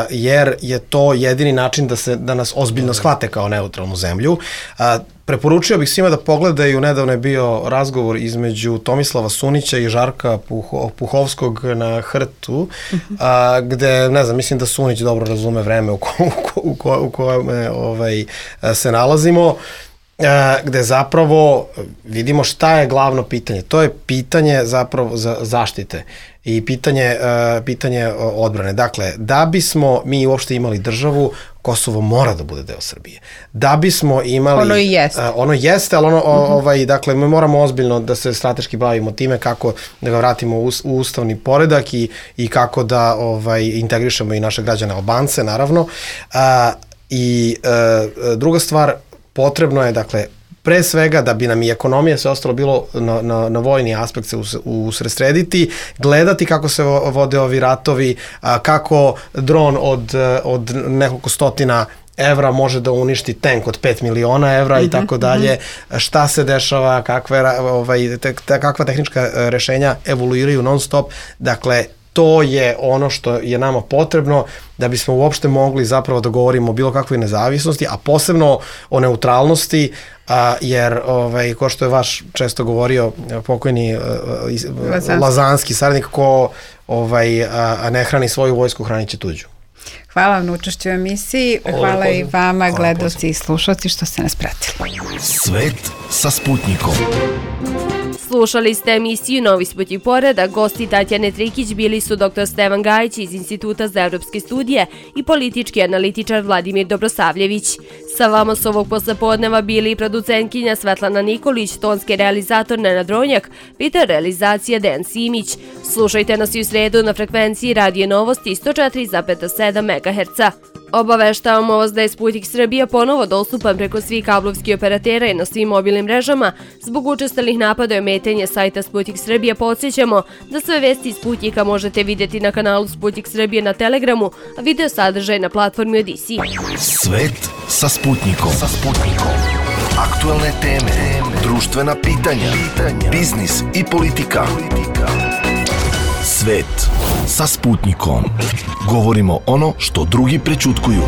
jer je to jedini način da, se, da nas ozbiljno shvate kao neutralnu zemlju. Uh, preporučio bih svima da pogledaju, nedavno je bio razgovor između Tomislava Sunića i Žarka Puho, Puhovskog na Hrtu, uh, gde, ne znam, mislim da Sunić dobro razume vreme u, ko, u, ko, u kojem ovaj, se nalazimo, gde zapravo vidimo šta je glavno pitanje. To je pitanje zapravo za zaštite i pitanje, pitanje odbrane. Dakle, da bismo mi uopšte imali državu, Kosovo mora da bude deo Srbije. Da bismo imali... Ono i jeste. Uh, ono jeste, ali ono, uh-huh. ovaj, dakle, mi moramo ozbiljno da se strateški bavimo time kako da ga vratimo u, u ustavni poredak i, i kako da ovaj, integrišemo i naše građane Albance, naravno. Uh, I uh, druga stvar, potrebno je, dakle, pre svega da bi nam i ekonomija sve ostalo bilo na, na, na vojni aspekt se us, usresrediti, gledati kako se vode ovi ratovi, a, kako dron od, od nekoliko stotina evra može da uništi tank od pet miliona evra mm-hmm, i tako dalje, šta se dešava, kakve, ovaj, te, te, kakva tehnička rešenja evoluiraju non stop, dakle, to je ono što je nama potrebno da bismo uopšte mogli zapravo da govorimo o bilo kakvoj nezavisnosti, a posebno o neutralnosti, a, jer, ovaj, ko što je vaš često govorio, pokojni Lazanski, Lazanski saradnik, ko ovaj, a, ne hrani svoju vojsku, hranit će tuđu. Hvala vam na učešću u emisiji, hvala i vama, gledaoci i slušalci, što ste nas pratili. Svet sa Sputnikom. Slušali ste emisiju Novi Sputnik poredak. Gosti Tatjane Trikić bili su doktor Stevan Gajić iz Instituta za evropske studije i politički analitičar Vladimir Dobrosavljević. Sa vama s ovog poslepodneva bili i producentkinja Svetlana Nikolić, tonski realizator Nenad Ronjak, Peter realizacija Dejan Simić. Slušajte nas i u sredu na frekvenciji Radio Novosti sto četiri zarez sedam megaherca. Obaveštavamo vas da je Sputnik Srbija ponovo dostupan preko svih kablovskih operatera i na svim mobilnim mrežama. Zbog učestalih napada i ometanja sajta Sputnik Srbija podsjećamo da sve vesti iz Sputnika možete vidjeti na kanalu Sputnik Srbije na Telegramu, a video sadržaj na platformi Odisi. Svet sa Sputnikom. Sa Sputnikom. Aktualne teme, društvena pitanja, biznis i politika. Svet sa Sputnikom. Govorimo ono što drugi prećutkuju.